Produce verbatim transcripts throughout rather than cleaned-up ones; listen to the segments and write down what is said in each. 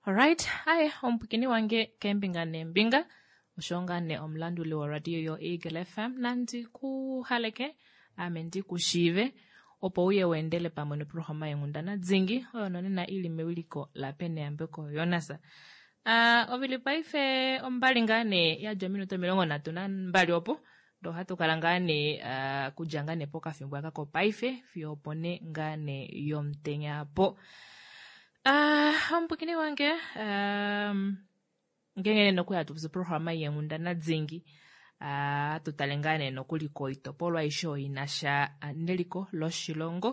Alright, aye omupwikini wange keembinga neembinga osho ngaa nee omulanduli woradio yo Eagle F M nandi ku haleke ame ndi ku shiive opo uye weendele pamwe noprograma yenghundana dzingi oyo nonena ili mewiliko laPeneyambeko Jonas. Uh, ovili paife ombali ngaa nee yadja ominute omilongo nhatu nambali opo ndo ohatu kala ngaa nee uh, kudja ngaa nee pokafimbo aka kopaife fiyo opo ne ngaa nee yomutenya po. Uh, omupwikini wange um, ngenge nokuya tupusa programa yenghundana dzingi uh, tutale ngaa nee nokuli koitopolwa aishe oyo inasha neliko loshilongo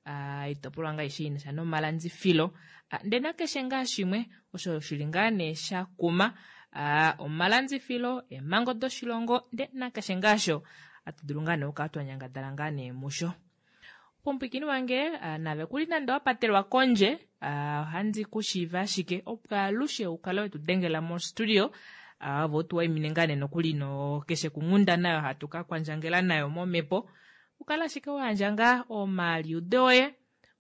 uh, itopolwa ngaa aishe inasha nomalandifilo uh, ndee nakeshe ngaa shimwe osho shili ngaa nee shakuma uh, omalandifilo eemhango doshilongo ndee nakeshe ngaasho atu dulu ngaa nee okukala twanyangadala ngaa nee musho. Pomupwikini wange uh, nave kuli nande wapatelwa kondje uh, ohandi kushiiva ashike opo alushe ukale wetu dengela mo studio uh, vo tuwaimine ngaa nee nokuli no keshe kunghunda nayo hatu ka kwandjangela nayo momhepo ukale ashike wayandja ngaa omaliudo oye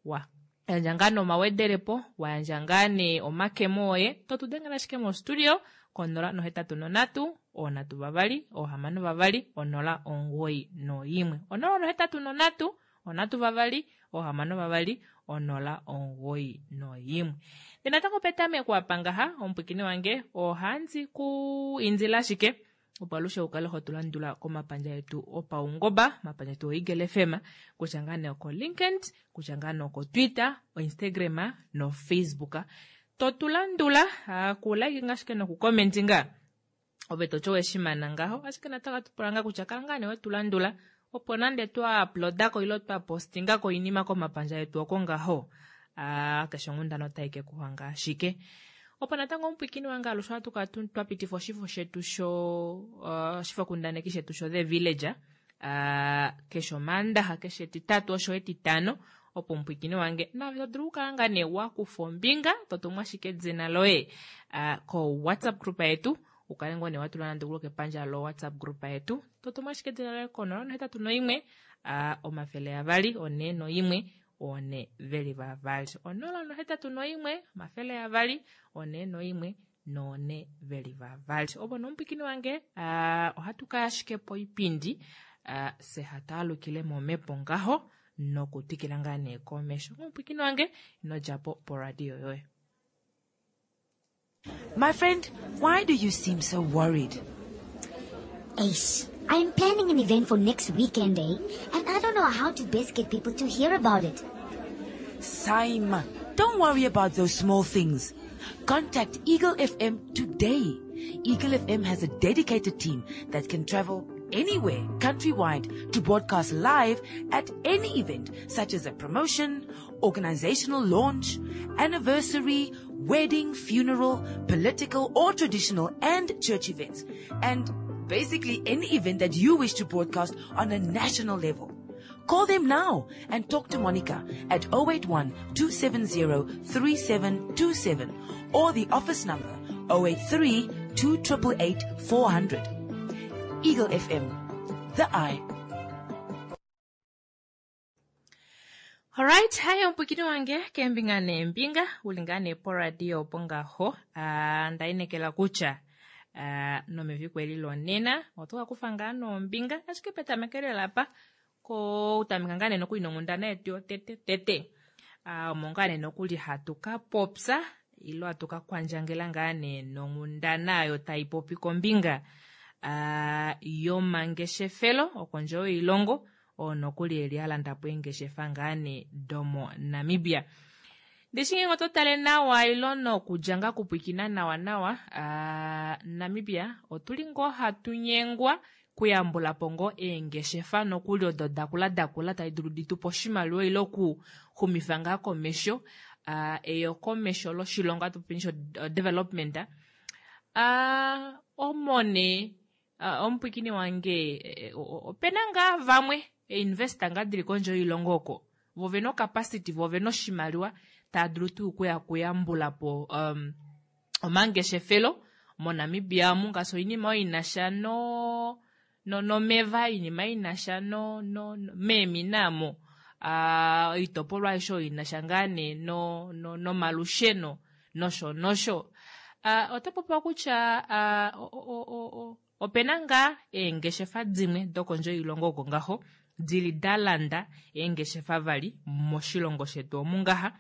wa yandja ngaa nomawedelepo wayandja ngaa nee omakemo oye totudengela ashike mo studio konola nohetatu nonhatu oonhatu vavali oohamano vavali onola omugoyi noimwe onola nohetatu nonhatu onhatu vavali oohamano vavali onola omugoyi noimwe. Ndee natango petameko apa ngaha omupwikini wange ohandi ku indila ashike opo alushe ukale ho tulandula komapandja etu opaungoba omapandja etu oEagle F M kutya ngaa nee oko LinkedIn kutya ngaa nee oko Twitter, oInstagram noFacebook totulandula uh, kulike nga ashike nokukomenti nga ove toti oweshimana ngaho ashike natango ohatu pula ngaa kutya kala ngaa nee wetulandula opo nande twa uploadako ilo twa postingako oinima komapandja etu oko ngaho uh, keshe onghundana otai ke kuhanga ashike. Opo natango omupwikini wange alushe ohatu kala twa pitifa oshifo shetu sho uh, oshifokundaneki shetu sho The Villager uh, keshe omaandaxa keshe etitatu osho etitano opo omupwikini wange nave to dulu okukala ngaa nee wakufa ombinga totumwa ashike edina loye uh, ko WhatsApp group yetu ukale ngoo nee watula nande okulo kepandja lo WhatsApp group yetu totumwa ashike edina loye konola nohetatu noimwe uh, omafele avali one noimwe one veli vavali onola nohetatu noimwe omafele avali one noimwe noone veli vavali. Opo nomupwikini wange uh, ohatu kaya ashike poipindi uh, se hatu alukile momhepo ngaho nokutwikila ngaa nee komesho. Omupwikini wange inodjapo poradio yoye. My friend, why do you seem so worried? Ace, I'm planning an event for next weekend, eh? And I don't know how to best get people to hear about it. Saima, don't worry about those small things. Contact Eagle F M today. Eagle F M has a dedicated team that can travel anywhere countrywide to broadcast live at any event such as a promotion, organizational launch, anniversary, wedding, funeral, political or traditional and church events, and basically any event that you wish to broadcast on a national level. Call them now and talk to Monica at oh eight one, two seven zero, three seven two seven or the office number oh eight three, two triple eight, four hundred. Eagle F M, the eye. Alright, haya mpwikini wange kembinga nembinga ulingane po radio pongaho uh, ndainekela kutya uh, nomeviku eli lonena otoka kufa ngaa nombinga ashike petamekelo lapa ko utameka ngaa nee nokuli nonghundana yetu yotete tete uh, omo ngaa nee nokuli hatu ka popya ilo hatu ka kwandjangela ngaa nee nonghundana oyo tai popi kombinga uh, yomangeshefelo okondje yoilongo oo nokuli eli alanda po eengeshefa ngaa nee domo Namibia. Ndishi ngenge oto tale nawa ilo nokudja ngaa kupwikina nawa nawa uh, Namibia otuli ngoo hatu nyengwa kuyambula po ngoo eengeshefa nokuli odo dakula dakula tadi dulu ditupe oshimaliwa ilo okuxumifa ngaa komesho uh, eyokomesho loshilongo hatu popi sho development uh, omone uh, omupwikini wange eh, opena ngaa vamwe investor ngaa dili kondje yoilongo oko vo vena ocapacity vo vena oshimaliwa tava dulu tuu okuya kuyambula po um, omangeshefelo moNamibia omu ngaashi oinima oyo inasha no no nomeva oinima inasha no no meemina amo uh, oitopolwa aishe oyo inasha ngaa nee no, no, nomalusheno Nosho nosho. Uh, ota popiwa kutya uh, opena ngaa eengeshefa dimwe dokondje yoilongo oko ngaho dili da landa eengeshefa vali moshilongo shetu omu ngaha.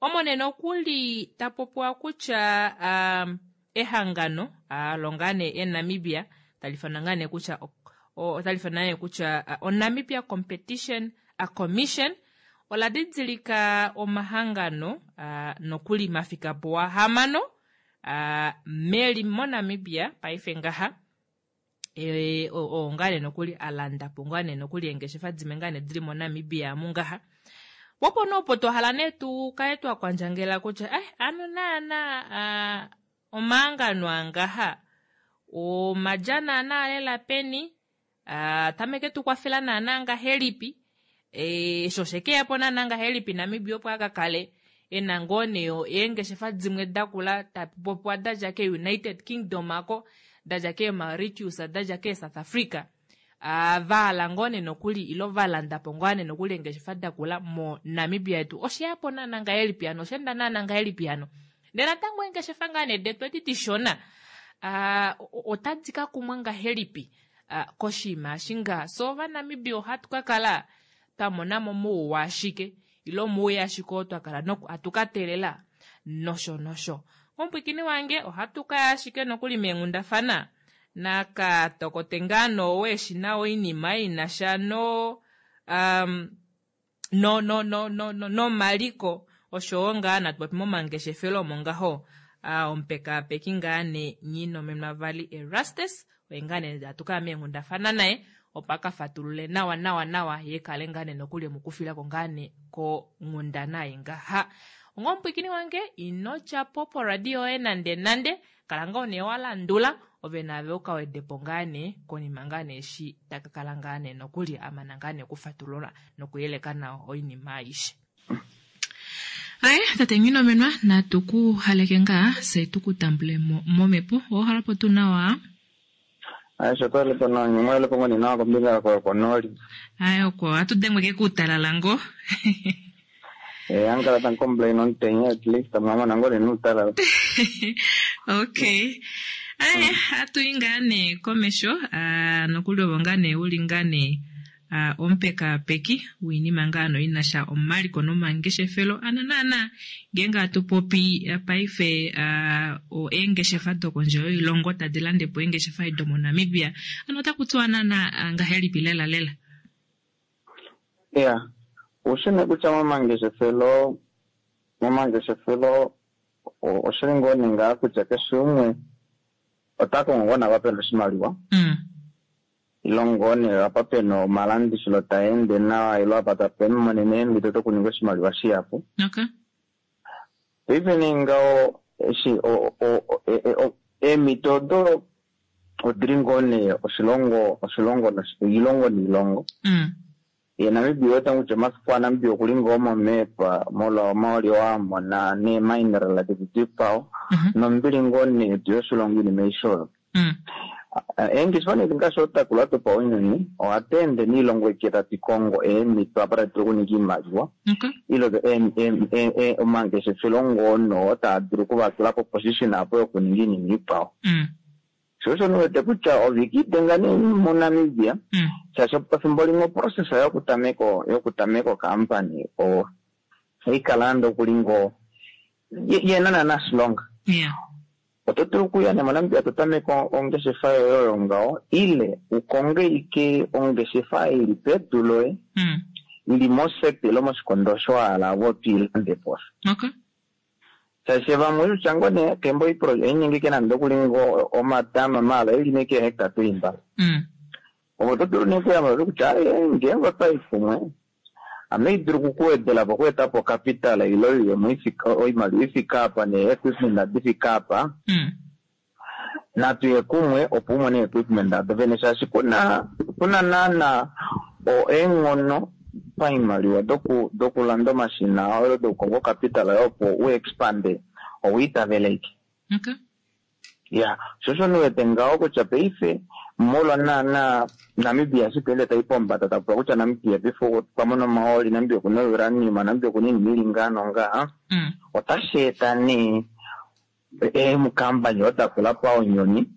Omo nee nokuli ta popiwa kutya um, ehangano longa nee eNamibia tali fanwa ngaa nee kutya otali fanwa nee kutya oNamibia Competition Commission ola didilika omahangano nokuli mafikapo wa hamano meli moNamibia paife ngaha e, oo ngaa nee nokuli alanda po ngaa nee nokuli eengeshefa dimwe ngaa nee dili moNamibia mungaha. Popo nopo twahala nee tu kale twa kwandjangela kutya eh ano naana omahangano angaha omadja naana lela peni tameke tukwafela naana ngahelipi e, sho shekeyapo naana ngahelipi Namibia opo akakale ena ngoo nee eengeshefa dimwe dakula tapopiwa dadja ke United Kingdom ako dadja ke Mauritius dadja ke South Africa uh, vahala ngoo nee nokuli ilo valandapo ngoo nee nokuli eengeshefa dakula mo Namibia yetu osheyapo naana ngahelipi hano osheenda naana ngahelipi hano ndee natango eengeshefa ngaa nee detu edi dishona uh, otadi ka kumwa ngahelipi uh, koshinima eshi nga so ovanamibia ohatu ka kala twamonamo mouwa ashike ilo mouya ashike oo twakala hatu ka teelela nosho nosho. Omupwikini wange ohatu kaya ashike nokuli meenghundafana nakatokote ngaa noowe na oinima inasha no um, no no no no no nomaliko oshowo ngaa natu popi momangeshefelo omo ngaho uh, omupekaapeki ngaa ne Nghinomenwa vali Erastus oye ngaa nee hatu kaya meenghundafana naye opo aka fatulule nawa nawa nawa ye kale ngaa nee nokuli emukufilako ngaa nee konghundana ei ngaha. Onga omupwikini wange ino djapo poradio yoye nande nande kala ngoo nee walandula ove naave ukawedepo ngaa nee konima ngaa nee eshi taka kala ngaa nee nokuli amana ngaa nee okufatulula nokuyeleka nawa oinima aishe. Aye tate Nghinomenwa natu ku haleke ngaa se tukutambule mo momhepo owahala tuu nawa. Aye sho twalipo nawa nyumwelepo ngoni nawa kombinga konooli. Aye oko ohatu dengwe ke kuutalala ngo. Eh, ankala tan complain omutenya at least amamona ngoo nuutalala. Okay. Aye hatuyi ngaa nee komesho uh, nokuli ovo ngaa nee uli ngaa nee uh, omupekaapeki wiinima ngaa no inasha omaliko nomangeshefelo ano naana ngeenge hatu popi uh, paife uh, eengeshefa dokondje yoilongo tadi landepo eengeshefa domoNamibia ano otaku tiwa naana uh, ngahelipi lela lela. Yeah, ushine kutya momangeshefelo momangeshefelo oshili ngoo nee ngaa kutya keshe umwe ota kongo ngoo napa pena oshimaliwa mm. ilo ngoo nee apa pena omalandithilo taende nawa ilo apa tape monene eemhito dokuninga oshimaliwa shihapu. Okay. Paife nee ngaho eshi eemhito odo odili ngoo nee oshilongo oshilongo oilongo niilongo. Mm. Ye Namibia ota kutya omafiku aNamibia okuli ngoo momepa molwa omaoli oo amona neemineral tedi dikwao Mm -hmm. nombili ngoo nee yetu yoshilongo inima aishe oyo. Mm. Eengeshefa nee ngaashi otakula dopaunyuni ohatu ende niilongo eke tatu kongo eemhito apa tadi dulu okuninga iimaliwa Okay. ilo omangeshefelo ngoo taa dulu okuvatula po position apo yokuninga iinima ikwao. Mm. Sho osho niwete kutya ove kiidenga nee moNamibia Mm. shaashi pefimbo limwe oprocess yokutameka yokutameka okampani ohaikala nande okuli ngoo yena naana shilonga. Yeah. Oto dulu okuya nee moNamibia to tameke ongeshefa yoye oyo ngaho ile ukonge ike ongeshefa ili pedu loye Mm. ili mosector ile moshikondo osho wahala ove otwiilande po. Okay. Shaashi vamwe kutya ngoo nee kembo iningi ke nande okuli ngoo omatama maala eli nee keehectare tuli mbali. Mm. Ove oto dulu nee okuyamba kutya aye ngeenge otwayi kumwe ame idulu okukuwedela po okweeta po capital ile oiyemo ifika oimaliwa ifika apa nee-equipment adi fika apa Mm. natuye kumwe opo umone equipment ado vene shaashi kuna kuna naana eenghono paimaliwa doku dokulanda omashina olo dokukonga ocapital opo u expande owiitaveleke. Okay. Ya, sho osho niwete ngaho kutya paife molwa naana Namibia eshi tweende tayi pombada takupula kutya Namibia paife okwa mona omahooli, Namibia okuna uranium, Namibia okuna iinima ili ngaa nongaa Mm. otashi eta nee Eemukambani odakula paonyoni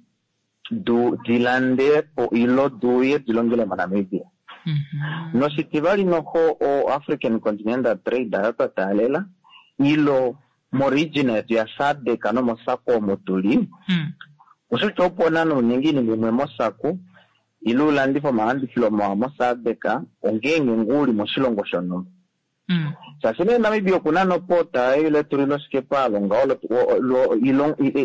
du dilande po ilo duuye dilongele moNamibia. Mhm. Noshitivali noho o African Continental Trade ayo twa taalela ilo moregion yetu ya SADC nomoSACU omo tuli Mm. osho opo nana uningi iinima imwe moSACU ile ulandife omalandifilo mawa moSADC ongeenge ngoo uli moshilongo shonhumba. Mm. Shaashi nee Namibia okuna nopota ile tuliloshikepa alonga olo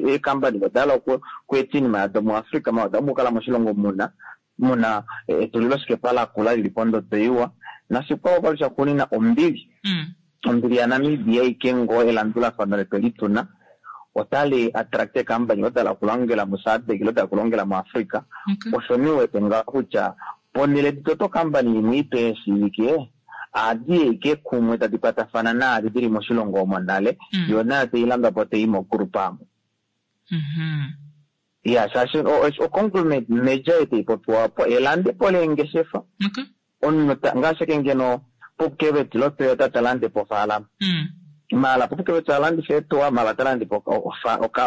eekambani oda hala okweeta iinima yado muAfrica ma oda kala moshilongo muna muna etuliloshikepa lakula lili pondodo iwa nashikwao vali shaxuuninwa ombili. Mm. Ombili yaNamibia ike ngoo elandulafano letu lituna otali attract eekambani oda hala okulongela muSADC ile oda hala okulongela muAfrica. Okay. Osho niwete ngaho kutya ponhele ditoto okambani imwe ipe eshiivike ohadi eke kumwe tadi kwatafana naadi dili moshilongo omo nale Mm. yo nayo tailandwa po tai mogroup amo. Mhm. Ya shaashi oconglomerate major taipopiwa po elandepo leengeshefa Okay. omunhu ngaashi ake ngeno Pupkewitz loToyota talande po ofaalama. Mm. Mala Pupkewitz alandifa eetuwa mala talande po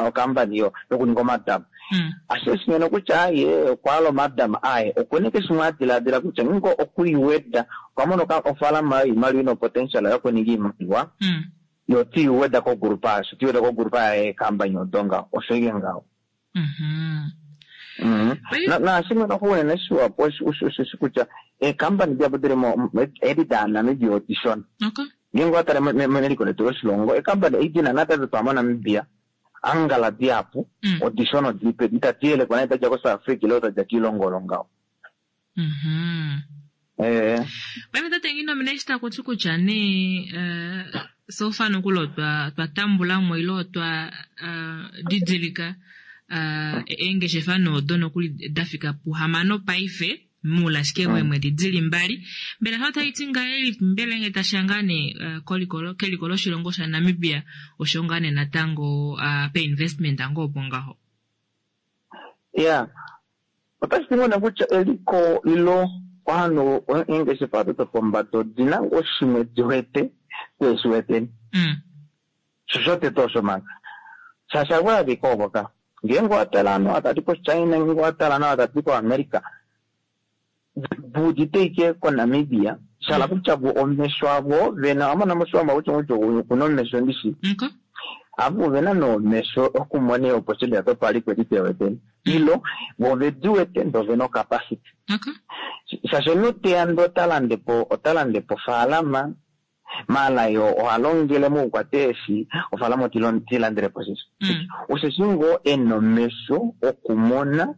okambani yokuninga omadama. Mm. Ashike shimwe kutya aye okwahala omadama aye okuna keshe shimwe adilaadila kutya ngingo okwiiweda okwamona ofaalama yoimaliwa ina potential yokuninga iimaliwa Mm. yo tiiweda kogroup asho tiiweda kogroup yeekambani odo ngaho osho ike ngaho. Mhm. Mhm. Paife- Naashimwe noho unene shiwapo osheshi kutya eekambani dihapu dili edi daNamibia odishona. Okay. Ngeenge owatale meliko letu loshilongo eekambani ei dina natatu twa moNamibia angala dihapu Mm. odishona odili pedu itadi yelekwa naye dadja koSouth Africa ile dadja kiilongo olo ngaho. Mhm. Eh. Paife tate Nghinomina eshi takuti kutya nee eh, so far nokuli otwa twatambulamo ile otwa eh, didilika eh, eengeshefa noodo nokuli dafika puhamano paife muule ashike weemwedi dili mbali. Mbela sho otaiti ngahelipi mbela ngee tashiya ngaa nee eh, koliko keliko loshilongo shaNamibia osho ngaa nee natango uh, painvestment ngoo opo ngaho. Ya otashi ti ngoo kutya eliko ilo ovanhu eengeshefa odo dopombada odina ngoo shimwe diwete tweeshiweteni. Mm. Sho shotete osho manga. Shaashi haku ovo ka. Ngeenge owatala ovanhu ava tadi koChina ngeenge owatala ovanhu ava tadi koAmerica vuudite ike koNamibia shahala kutya vo omesho avo vena owamona moshiwambo kutya kutya okuna omesho ndishi Okay. avo ovena nomesho okumona eeopportunity dopaliko edi tweweteni ilo vo ovediwete ndee ovena ocapacity. Okay. Shaashi omunhu teya ndee ota po ota po ofaalama maala yo ohalongele mokukwata eeshi ofaalama otiilandelepo sheshe. Mm. Osheshi ngoo ena omesho okumona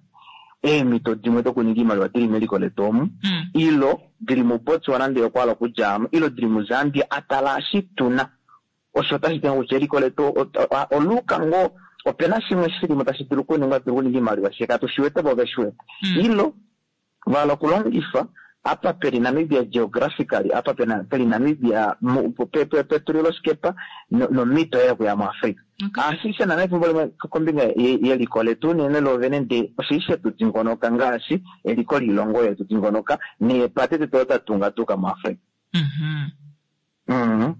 eemhito dimwe dokuninga iimaliwa dili meliko letu omu Mm. ilo dili muBotswana ndee okwahala okudjamo ilo dili muZambia atala eshi tuna. Osho otashi ti kutya eliko letu oluuka ngoo opena shimwe shilimo tashi dulu okuningwa dulu okuninga iimaliwa shee katushiwete vo oveshiwete. Mm. Ilo vahala okulongifa apa peli Namibia geographically apa pena peli Namibia petuliloshikepa nomhito yokuya muAfrica. Okay. Ashishe nana efimbo limwe kombinga yeliko letu unene lovene ndee oshili shetu dingonoka ngaashi eliko loilongo yetu dingonoka neepate detu odo tatunga tuka muAfrica. Mhm. Mhm.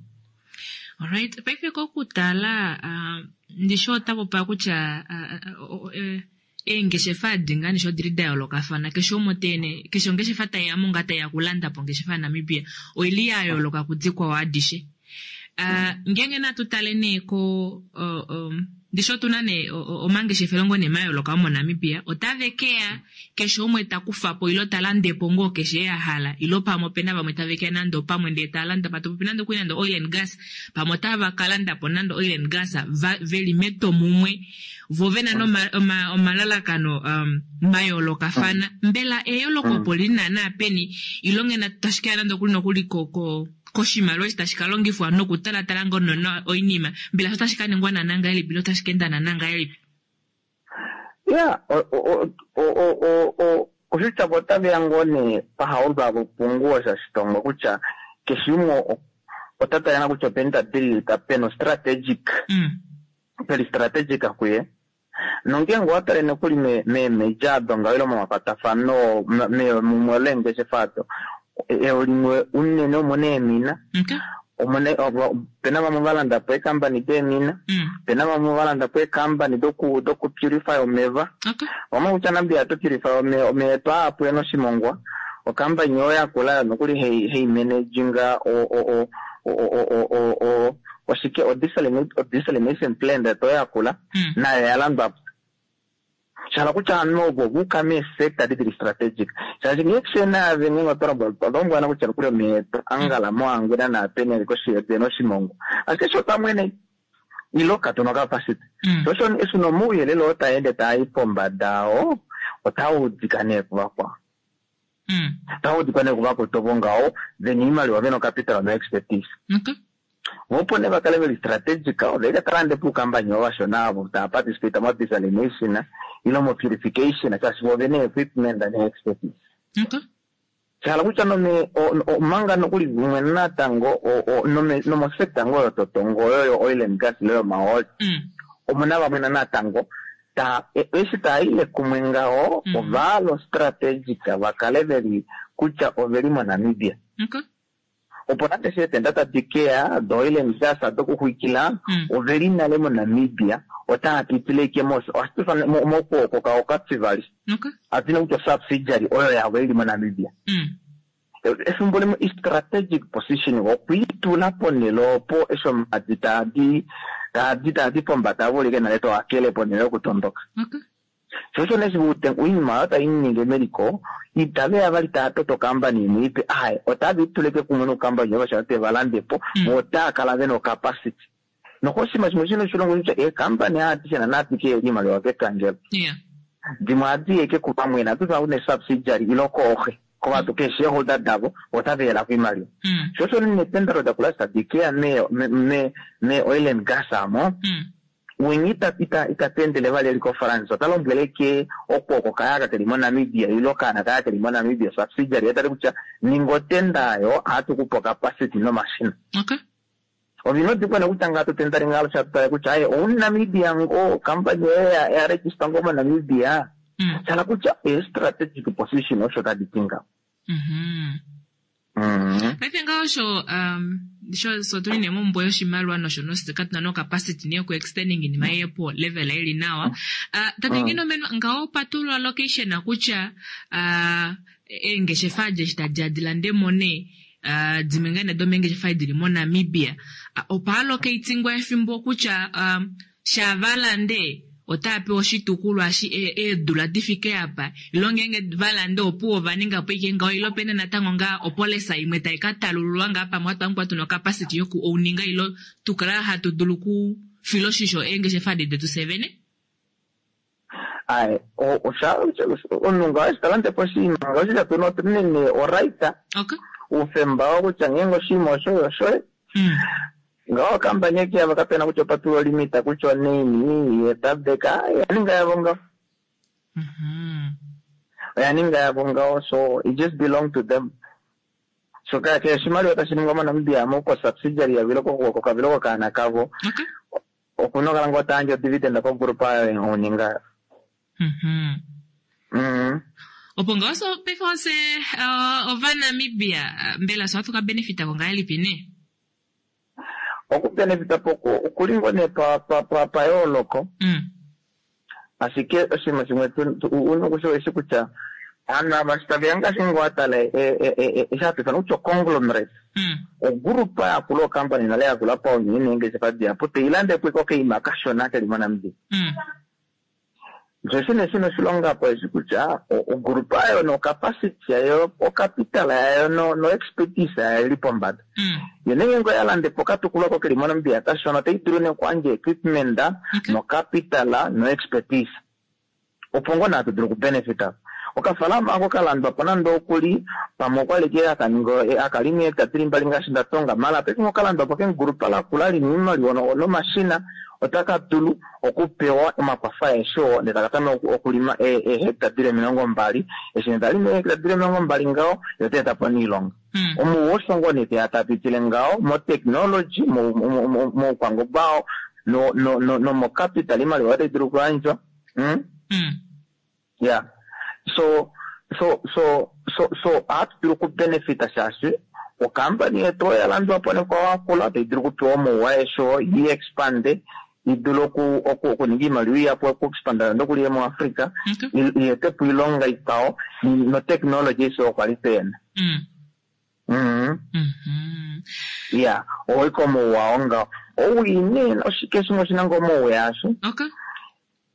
Alright, paife kokutala uh, ndishi otapopa kutya uh, uh, uh, eengeshefa adi ngaa nisho odili da yoolokafana keshe umwe teene keshe ongeshefa taiyamo ngaa taiya okulanda po ongeshefa yaNamibia oili ya yooloka kudikwao adishe. Uh, ngeenge natu tale nee ko uh, um, ndishi otuna nee omangeshefelo ngoo nee mayooloka omoNamibia otave keya keshe umwe takufapo ilo talandepo ngoo keshe ahala ilo pamwe opena vamwe tave keya nande opamwe ndee talanda patopopi nande okuli nande oil and gas pamwe otava kalandapo nande oil and gas va, veli metwomumwe vo vena nomalalakano um, mayoolokafana mbela eyooloko opo lili naana peni ilo ngena tashi kaya nande okuli nokuli ko, ko koshimaliwa eshi tashi kalongifwa nokutalatala ngoo nonawa oinima mbela sho otashi kaningwa naana ngahelipi ile otashi kaenda naana ngahelipi? Ya oshitya vo otaveya ngoo nee pahaulwa vopunguwo shashitongo kutya keshe umwe ota tala kutya openi tadililika pena strategic Mm. peli strategic kuye nongeenge owatale nokuli meemeja ado ngaho ile momakwatafano mumwe leengeshefa ado eo limwe unene omuna eemina Okay. Omune opena vamwe valanda po eekambani deemina, Mm. opena vamwe valanda po eekambani doku doku purify omeva. Okay. Vamwe kutya Namibia to purify ome omeya etu aapu enoshimongwa. Okambani oyo yakula yo nokuli hei hei managinga o o o o o o o o oshike o desalination o desalination plant eto yakula Mm. nayo yalandwa po. Shala kutya ovanhu ovo vuka meesector dili strategic shaashi ngee kushena ave ngenge otwa lombwana kutya nokuli omeya etu angala moangwena naapeni ali koshi yedu ena oshimongwa ashike sho pamwene ilo katuna ocapacity Mm. sho osho eshi nomauyelele oo taende taai pombada oo otaudika nee kuvakwao Mm. otaudikwa nee kuvakwetu ngaho vena oimaliwa vena ocapital no expertise Okay. vopo nee vakale veli strategic oveika talande puukambani ovashona avo taa participate mo desalination ilo mo purification shaashi vo vena equipment ne expertise Okay. shala kutya nome o- o- omanga nokuli vumwe natango o- o- nome- nomosector ngoo yototongo oyo yo oil and gas ile yomahooli Mm. omuna vamwe natango ta e- eshi taaile kumwe ngaho Mm. ovalo strategic vakale veli kutya oveli moNamibia Okay. opo nande sheetenda tadi keya do oil and gas dokuxwikila Mm. oveli nale moNamibia otaa pitile ike mos ohatu mokwooko kao okativali Okay. atina kutya subsidiary oyo yavo ili moNamibia Mm. efimbo limwe i-strategic position okwiitula ponhele opo eshi omadi taadi taadi taadi pombada avolike nale toakele ponhele yokutondoka Okay. sho osho neshi oinima oyo tainingi meliko itaveya vali taa toto okambani imwe ipe aye otave ituleke kumwe nokambani oyo te valandepo Mm. votaa kala vena ocapacity nokoshinima shimwe shino oshilongo kutya eekambani adishe nanadike iimaliwa kepangelo Yeah. dimwe ohadi yeke kuvamwe natu une subsidiary ilo kooxe kovatu kee shareholder davo otaveyelako oimaliwa Mm. sho osho netendero dakula tadikeya me me me oil and gas amo Mm. wenye ita ita itatendele vali eli koFrance ota lombwele ke okwooko kayaka keli moNamibia ilo kaana kaya keli moNamibia subsidiary etali kutya ninga otenda ayo ohatukupa ocapacity nomashina Okay. ovinodikwana kutya ngatu tendare ngalo shatutale kutya aye ounamibia ngo kampani yoye ya- ya register ngo moNamibia Mm. shala kutya e-strategic position osho tadi ti ngaho Mhm. Mhm. Paife ngaho osho um sho so tuli nee mombuga yoshimaliwa nosho nosho katuna no capacity nee yoku extending iinima yepo level ili nawa. Uh, tate ngeno meno ngaho patulwa location kutya uh, eengeshefa adje tadi adilande mo nee uh, dimwe ngaa nee domeengeshefa dili moNamibia uh, opa allocatingwa efimbo kutya um, shavalande otaa pewa oshitukulwa shi e- eedula difike apa ilo ngeenge valande opuwo ova po ike ngaho ilo pene natango ngaa opolisa imwe tai ka talululwa ngaa pamwe hatu tuna ocapacity yoku ouninga ilo tukala hatu dulu ku fila oshisho eengeshefa adi detu sevene Aye, o- osha omunhu ngaho eshi talande po oshinima ngaho osho tuna otunene oright okay uufemba wo kutya ngeenge oshinima osho oshoye mm. ngaho okampani eke yavo kapena kutya opatulwa olimita kutya oneni yetabeka oya yavo ngaho mm oya ninga yavo ngaho so it just belong to them so ka kehe oshimaliwa tashi ningwa moNamibia mo ko subsidiary yavo ilo ko- kokavilo kokaana kavo okay okuna okala ngoo tayandje odividend kogrupa ayo oninga mm mm. opo ngaho so paife ose uh, ovanamibia uh, mbela so hatu ka benefita ko ngahelipi nee okubenefita po okuli ngoo nee pa- pa- pa- payooloko mm. ashike oshinima shimwe tu- tu- una okushiwa eshi kutya aanhu ava shi taveya ngaashi ngoo atala eshi hatu ifana kutya conglomerate Mm. ogrupa yakula okampani nale yakula paunyuni neengeshefa dihapu teilandepo iko okaima kashona keli moNamibia Mm. sho shine shina oshilonga po eshi kutya o- ogrupa ayo nocapacity yayo ocapital yayo no- no expertise yayo ili pombada Mm. yo nenge ngo yalandepo okatukulwa ko keli moNamibia kashona otai dulu nee okuyandja equipment Okay. nocapital no expertise opo ngoo naa tudulu okubenefita okafalama ako kalandwa po nande okuli pamwe okwali ke akaninga akalima eekta dili mbali ngaashi ndatonga mala paife okalandwa po kengulupa lakula lina oimaliwa no- nomashina otaka dulu okupewa omakwafo aeshe oo ndee taka tameke okulima eehecta dili emilongo mbali eshi nee talimi eehecta dili emilongo mbali ngaho yo otaeta po niilonga Mm. omuwo osho ngoo nee teya tapitile ngaho motechnology moukwangomba oo no- no- no- nomocapital imaliwa otai dulu okuyandjwa mm? Mm. yeah so so so so so ohatu dulu okubenefita shaashi Okampani yetu oya landwa po nekwawakula tayi dulu okupewa omauwa esho yi expande yi dule oku oku okuninga iimaliwa iyapu okuexpanda nokuli muAfrica Okay. i ete po iilonga ikwawo notechnology iso okwa li pena. Mm. Mhm. Mhm. Ya, oiko omauwa onga owii oshike shimwe oshina ngo omauwa yasho Okay.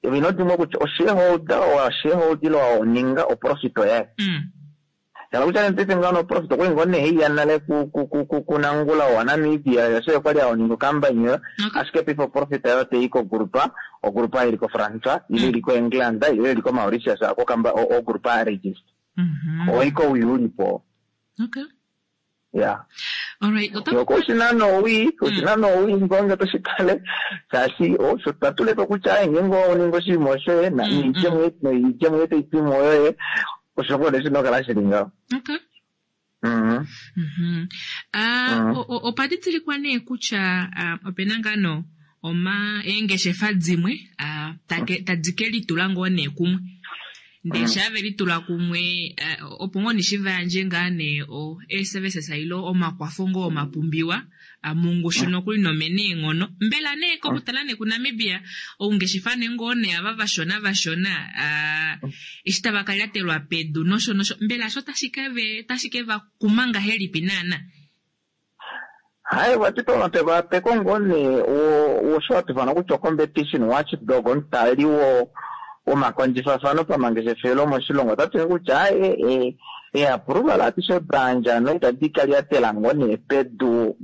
ino dimwe kutya oshareholder owa shareholder wa oninga oprofit oyaye Mm. shala kutya nee paife ngaho oprofit okwali ngoo nee iya nale ku- ku- ku- ku- kunangula wa Namibia yasho okwali aoninga okampani oyo Okay. ashike paife oprofit oyo teyi kogrupa ogrupa ili ko France ile ili ko England ile ili ko Mauritius ako kamba ogrupa ya register Mhm. oiko uyi ulipo Okay. ya All right. Ota yoko oshina nowii oshina nowii ngonge toshitale shaashi osho twatulepo kutya ngeenge oninga oshinima oshoye Mm, mm. niidjemo noidjemo yetu itimo yoye osho ngoo nee shina okukala shili ngaho. Okay. Mhm. Mhm. Ah, Mm. o- o- opa didilikwa nee kutya ah, opena ngaa no oma eengeshefa dimwe ah, take- tadi ke litula ngoo nee kumwe ndee shaa ve litula kumwe ah, opo ngoo neshi va yandje ngaa nee o eeservices ile omakwafo ngoo omapumbiwa ah, mongushu nokuli nomene eenghono mbela nee kokutala nee kuNamibia oungeshefa nee ngoo nee ava vashona vashona ah, eshi tava ka lyatelwa pedu nosho nosho mbela sho tashi ke ve tashi ke va kuma ngahelipi naana? Hayi vati pamapekapeko ngoo nee wo- wosho hatufana kutya ocompetition watchdog omutali wo womakondjifafano pamangeshefelo moshilongo otatu kutya hayi eapproval atishe bandja no itadi ka lyatela ngoo nee pedu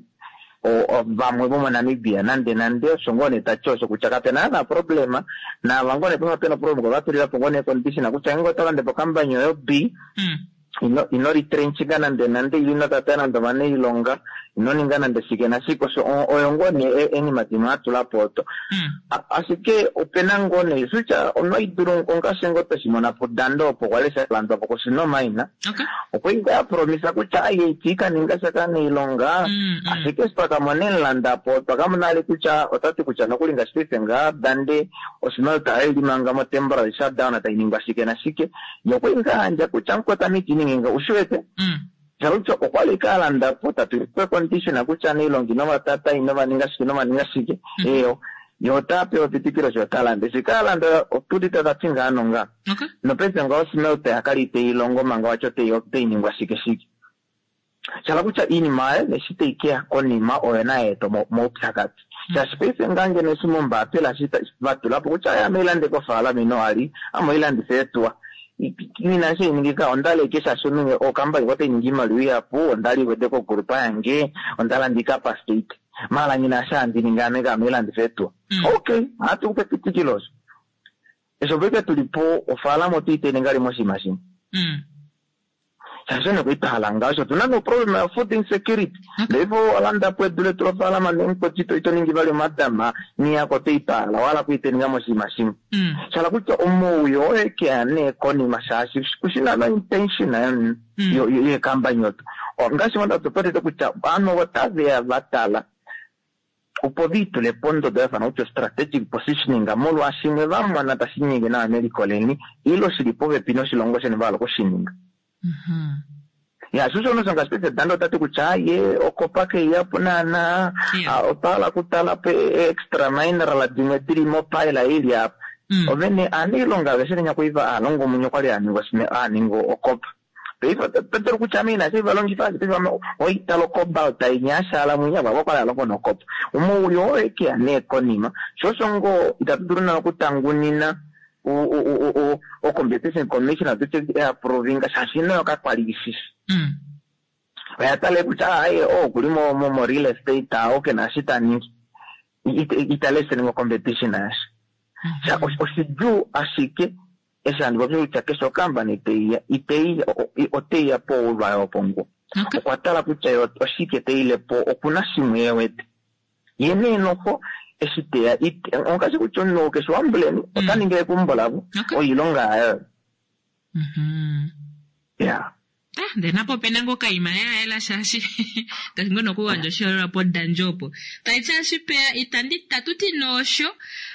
o- o- vamwe vomoNamibia nande nande osho ngoo nee tati osho kutya kapena naana problema naava ngoo nee pema pena problem ovatulila po ngoo nee condition kutya ngenge oto lande po okampani oyo B Mm. ino ino retrenchinga nande nande ile ino tata nande ovanailonga ino ninga nande shike nashike osho o- oyo ngoo nee e- enima dimwe atula po oto Mm. A- ashike opena ngoo nee kutya onoidulu ongaashi ngoo tweshimona pudando opo kwali shalandwa po kosinomaina Okay. okwali ngaa yapromisa kutya aye iti kaninga sha kanailonga Mm, mm. ashike eshi twakamona emulandapo twakamona ali kutya otati kutya nokuli ngaashi paife ngaa dande oshimaliwa tayi limanga mo temporary shutdown tayi ningwa shike nashike ye okwali ngaa handja kutya mukota mitiningi ushiwete Mm. shala kutya okwali kalandapo tatulikwe condition kutya anailonga inovatata inovaninga shike inovaninga shike Mm. eyo ye ota pewa epitikilo sho talanda eshi kalanda otulita tati ngaa nonga Okay. nopaife ngaho smelter yakali iteyi longo manga wacho teyi ningwa shike shike shala kutya iinima ayo neshi tayi keya konima oyo nayeeta moupyakadhi shaashi paife ngaa ngeno eshi mombaapila shi vatulapo kutya aya ameilande kofaalama ino ali amoilandifa eetuwa nina shi ningika ondaleke shaashi omunhu okambani otayi ningi iimaliwa ihapu ondali iwete kogrupa yange ondalanda ikapastate mala nyina sha handi ningi ame kaameilandifa eetuwa Mm. okay hatu kupe epitikilo osho esho paife tulipo ofaalama otuitene ngali moshinima shimwe Mm. shaashi one kuitahala ngaho osho tuna noproblem ya food insecurity Okay. ndeipo walandapo edu letu lofaalama nemukoti ito ningi vali omadama niyako toipahala wala kuiteninga moshinima shimwe Mm. shala kutya omauyo oyekeya nee konima shaashi kushina no intention Mm. yo- yo- yekampani oto ngaashi mondatopatete kutya ovanhu otaveya vatala opo viitule pondodo yafana kutya strategic positioning molwaashimwe vamona tashi nyenge nawa meliko leni ile shili popepi noshilongo sheni vahala okushininga Mhm. ya sho shono shongaashi paife dando otati kutya ye okopa keiyapo naana Yeah. ah, otwahala okutala po extra mineral dimwe dili mopaila ili apa Mm. ovene aaniilonga aveshe venya kuiva aalonga omunye okwali aaninga osime- aaninga okopa paife otadulu kutya ame inashi valongifa ashike paife ame oitala ocobalt inyashala mwinya vavo okwali alongo nokopa omouli owekeya nee konima sho osho ngoo itatu dulu naa okutangunina o- o- o- o- o competition commission tutye eaprovinga shaashi nayo kakwali ishishi Mm. oya tale kutya aye o okuli mo mo- mo real estate ah, oke naashi ta ningi itale seninga competition yasha Sha- Mhm. osh- oshidjuu ashike eshi handi popi kutya keshe okampani teiya iteiya o- o- oteiya poulwayo oponguo Okay. okwa tala kutya yo oshike teilepo okuna shimwe ye wete ye nee noho eshi teya ite- ongaashi kutya omunhu keshe wambuleni ota ningi ekumbo lavo Okay. oilonga yayo Mhm. ya Ah, ndee napo opena ngoo okaima ya yela shaashi tashi ngoo nokugandja oshiholelwa podandjo opo taiti ashipeya itandi tatuti noosho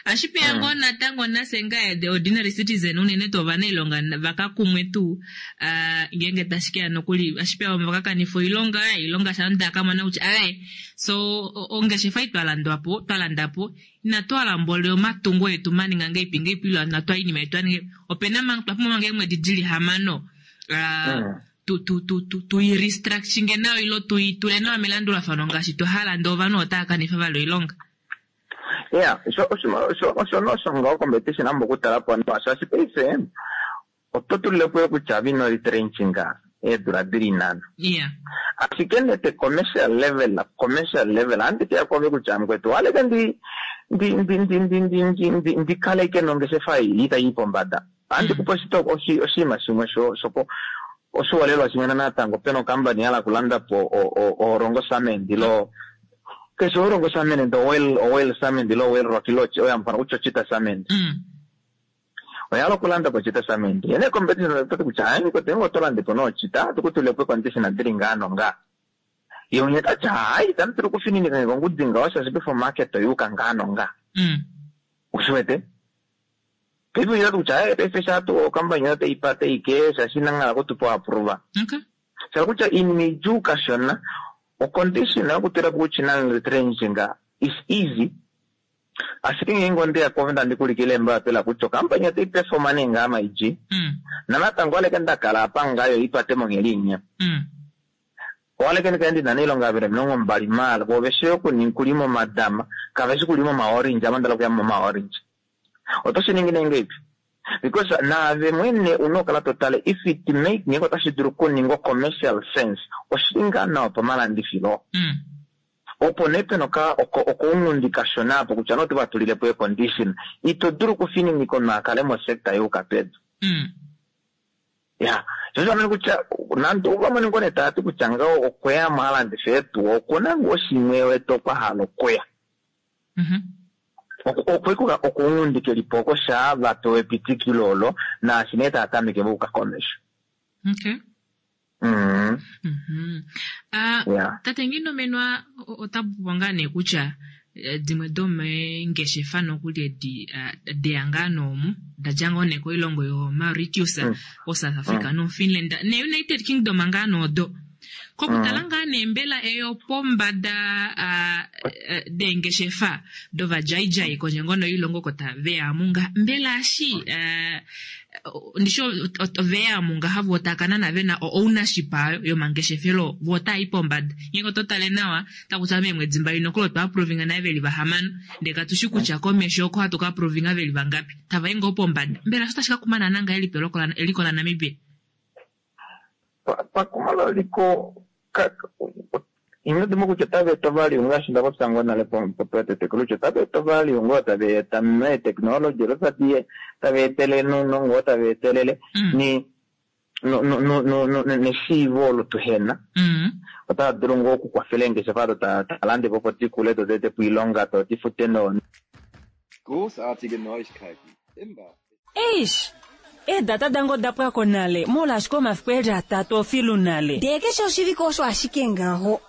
ashipeya ngoo natango nase ngaye the ordinary citizen unene tuu ovanailonga vakakumwe tuu uh, ngeenge tashi keya nokuli ashipeya vamwe vakakanifa oilonga oilonga sha ndakamona kutya aye so ongeshefa ei twalandwapo twalandapo inatu hala mboli omatungo etu maninga ngeipi ngeipi ilo inatu oinima yetu aninge opena manga twapumbwa manga eemwedi dili hamano uh, mm. tu tu tu tu tu restructuring nayo ilo tuitule nawa melandulafano ngaashi twahala ndee ovanhu otava kanifa vali oilonga. Yeah, so osho osho nosho ngaho competition ambo okutala po nawa shaashi paife oto tulilepo kutya vino retrenching eedula dili nhano. Yeah. Ashike nete commercial level, commercial level andi teya kove kutya mukwetu waleke ndi ndi ndi ndi ndi ndi ndi ndi ndikaleke nongeshefa ei itayi pombada. Andi kupa oshinima shimwe sho shoko oshiholelwa shimwe natango pena okampani yahala okulanda po orongo cement ilo keshe orongo cement oil oil cement ilo oil rock ilo oyo hamufana kutya ochita cement. Oyahala okulanda po ochita cement. Yene competition otati kutya hayi mukwetu ngenge oto lande po noochita otoku po condition dili ngaa nongaa. Ye umwe tati hayi itamu dulu okufininika nge kongudi ngaho shaashi paife omarket oyuuka ngaa nongaa. Ushiwete? Paife oyati kutya hayi paife shaatu okampani otayi pate ike shaashi inanghala okutupa approve. Okay. Shala kutya iinima idjuu kashona ocondition yokutula po kutya ina retrenching is easy. Ashike ngeenge ondeya kove ndandi kulikile embapila kutya okampani otayi performa nee ngaa maidji. Nanatango waleke ndakala apa ngayo ipate monghedi inya. Owaleke ndikale ndina nailonga vele omilongo mbali maala vo veshi okulima omadama kaveshi kulima omaorange ava ndala okuya momaorange. Oto shi ningi nee ngeipi? Because naave mwene una okukala totale if it make ngenge otashi dulu okuningwa commercial sense oshili ngaa nawa pamalandifilo. Opo nee pena okounghundi kashona apo kutya nee oto vatulilepo econdition ito dulu okufininika omunhu akale mosector yuuka pedu. Ya, sho osho kutya nande ovamwe ngoo nee tavati kutya ngaho okweyamo alandife eetuwa okuna ngoo shimwe wete okwa hala okuya. Okwekuka okounghundi kelipo oko shaa vapewa epitikilo olo naashi nee tava tameke vauka komesho. Okay. Mm. Mm-hmm. Uh, Yeah. Tate Nginomenwa ota popi ngaa nee kutya dimwe domeengeshefa nokuli edi uh, deya ngaa noomu dadja ngoo nee koilongo yo Mauritius, Mm. o South Africa no Finland ne United Kingdom ngaa noodo. Kokutala ngaa nee mbela eyo pombada uh, uh, deengeshefa dovadjaidjai kondje ngono yoilongo oko taveya munga mbela ashi uh, ndishi oveya mungaha vo takanana vena ownership ayo yomangeshefelo vo otaayi pombada ngenge oto tale nawa takutya meemwedi mbali nokuli otwa approvinga naye veli vahamano ndee katushi kutya komesho oko hatu ka approvinga veli vangapi tavai ngoo pombada mbela osho tashi ka kumana nangahelipi eliko laNamibia? Pakuma liko inodimo kutya otava eta value ngaashi nda popya ngoo nale petetekelo kutya otava eta value ngoo tava eta meetechnology olo tava etele nounongo tava etelele ni neshiivo olo tuhena. Otava dulu ngoo okukwafela eengeshefa odo talande po opo dikule do di ete po oilonga do difute no. Großartige Neuigkeiten. Imba. Eish, eedata dange oda pwako nale molwaashi omafiku eli atatu ofilu nale. Ndee keshe oshivike osho ashike ngaho.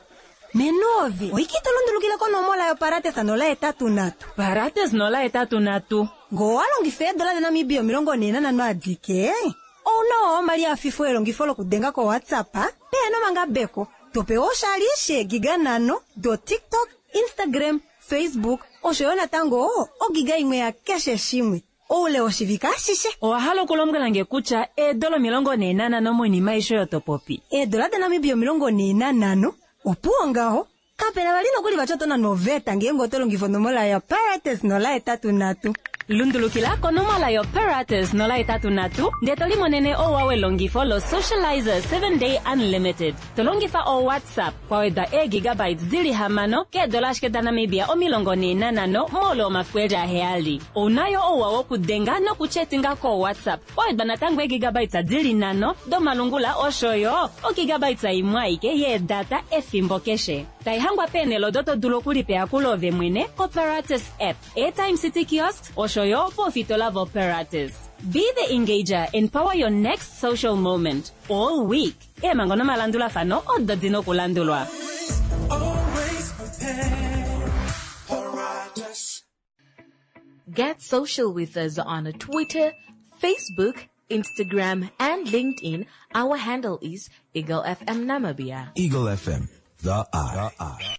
Menovi, oike to lundulukile konomola yoparates nola etatu nhatu. Parates nola etatu nhatu. Ngoo walongifa eedola daNamibia omilongo nhee nanhano adike, ouna wo omali afifo elongifo lokudenga koWhatsApp pehena omangabeko. Topewa oshali sheegiga nhano do TikTok, Instagram, Facebook osho yo natango ogiga imwe ya keshe shimwe oule woshivike ashishe. Owa hala okulombwela nge kutya eedola omilongo nhee nanhano moinima aishe oyo topopi? Eedola daNamibia omilongo nhee nanhano opuwo ngaho kapena vali nokuli vati oto nana oveta ngeenge oto longifa onomola yoparates nola etatu nhatu. Lundulukila konomola yoparates nola etatu nhatu ndee to limonene ouwa welongifo lo Socializer seven day unlimited. To longifa o WhatsApp kwawedwa eegigabytes dili hamano keedola ashike daNamibia omilongo nhee nanhano moule womafiku eli aheyali. Ounayo ouwa wokudenga nokuchetinga koWhatsApp kwawedwa natango eegigabytes dili nhano domalungula osho yo ogigabytes imwe aike yeedata efimbo keshe. Taihangwa peenhele odo to dulu okulipa eyakulo ove mwene koparates app, Airtime City Kiosk osho yo poofitola voparates. Be the engager and power your next social moment all week. Eemhango nomalandulafano odo di na okulandulwa. Get social with us on Twitter, Facebook, Instagram, and LinkedIn. Our handle is Eagle F M Namibia. Eagle F M, the eye. The eye.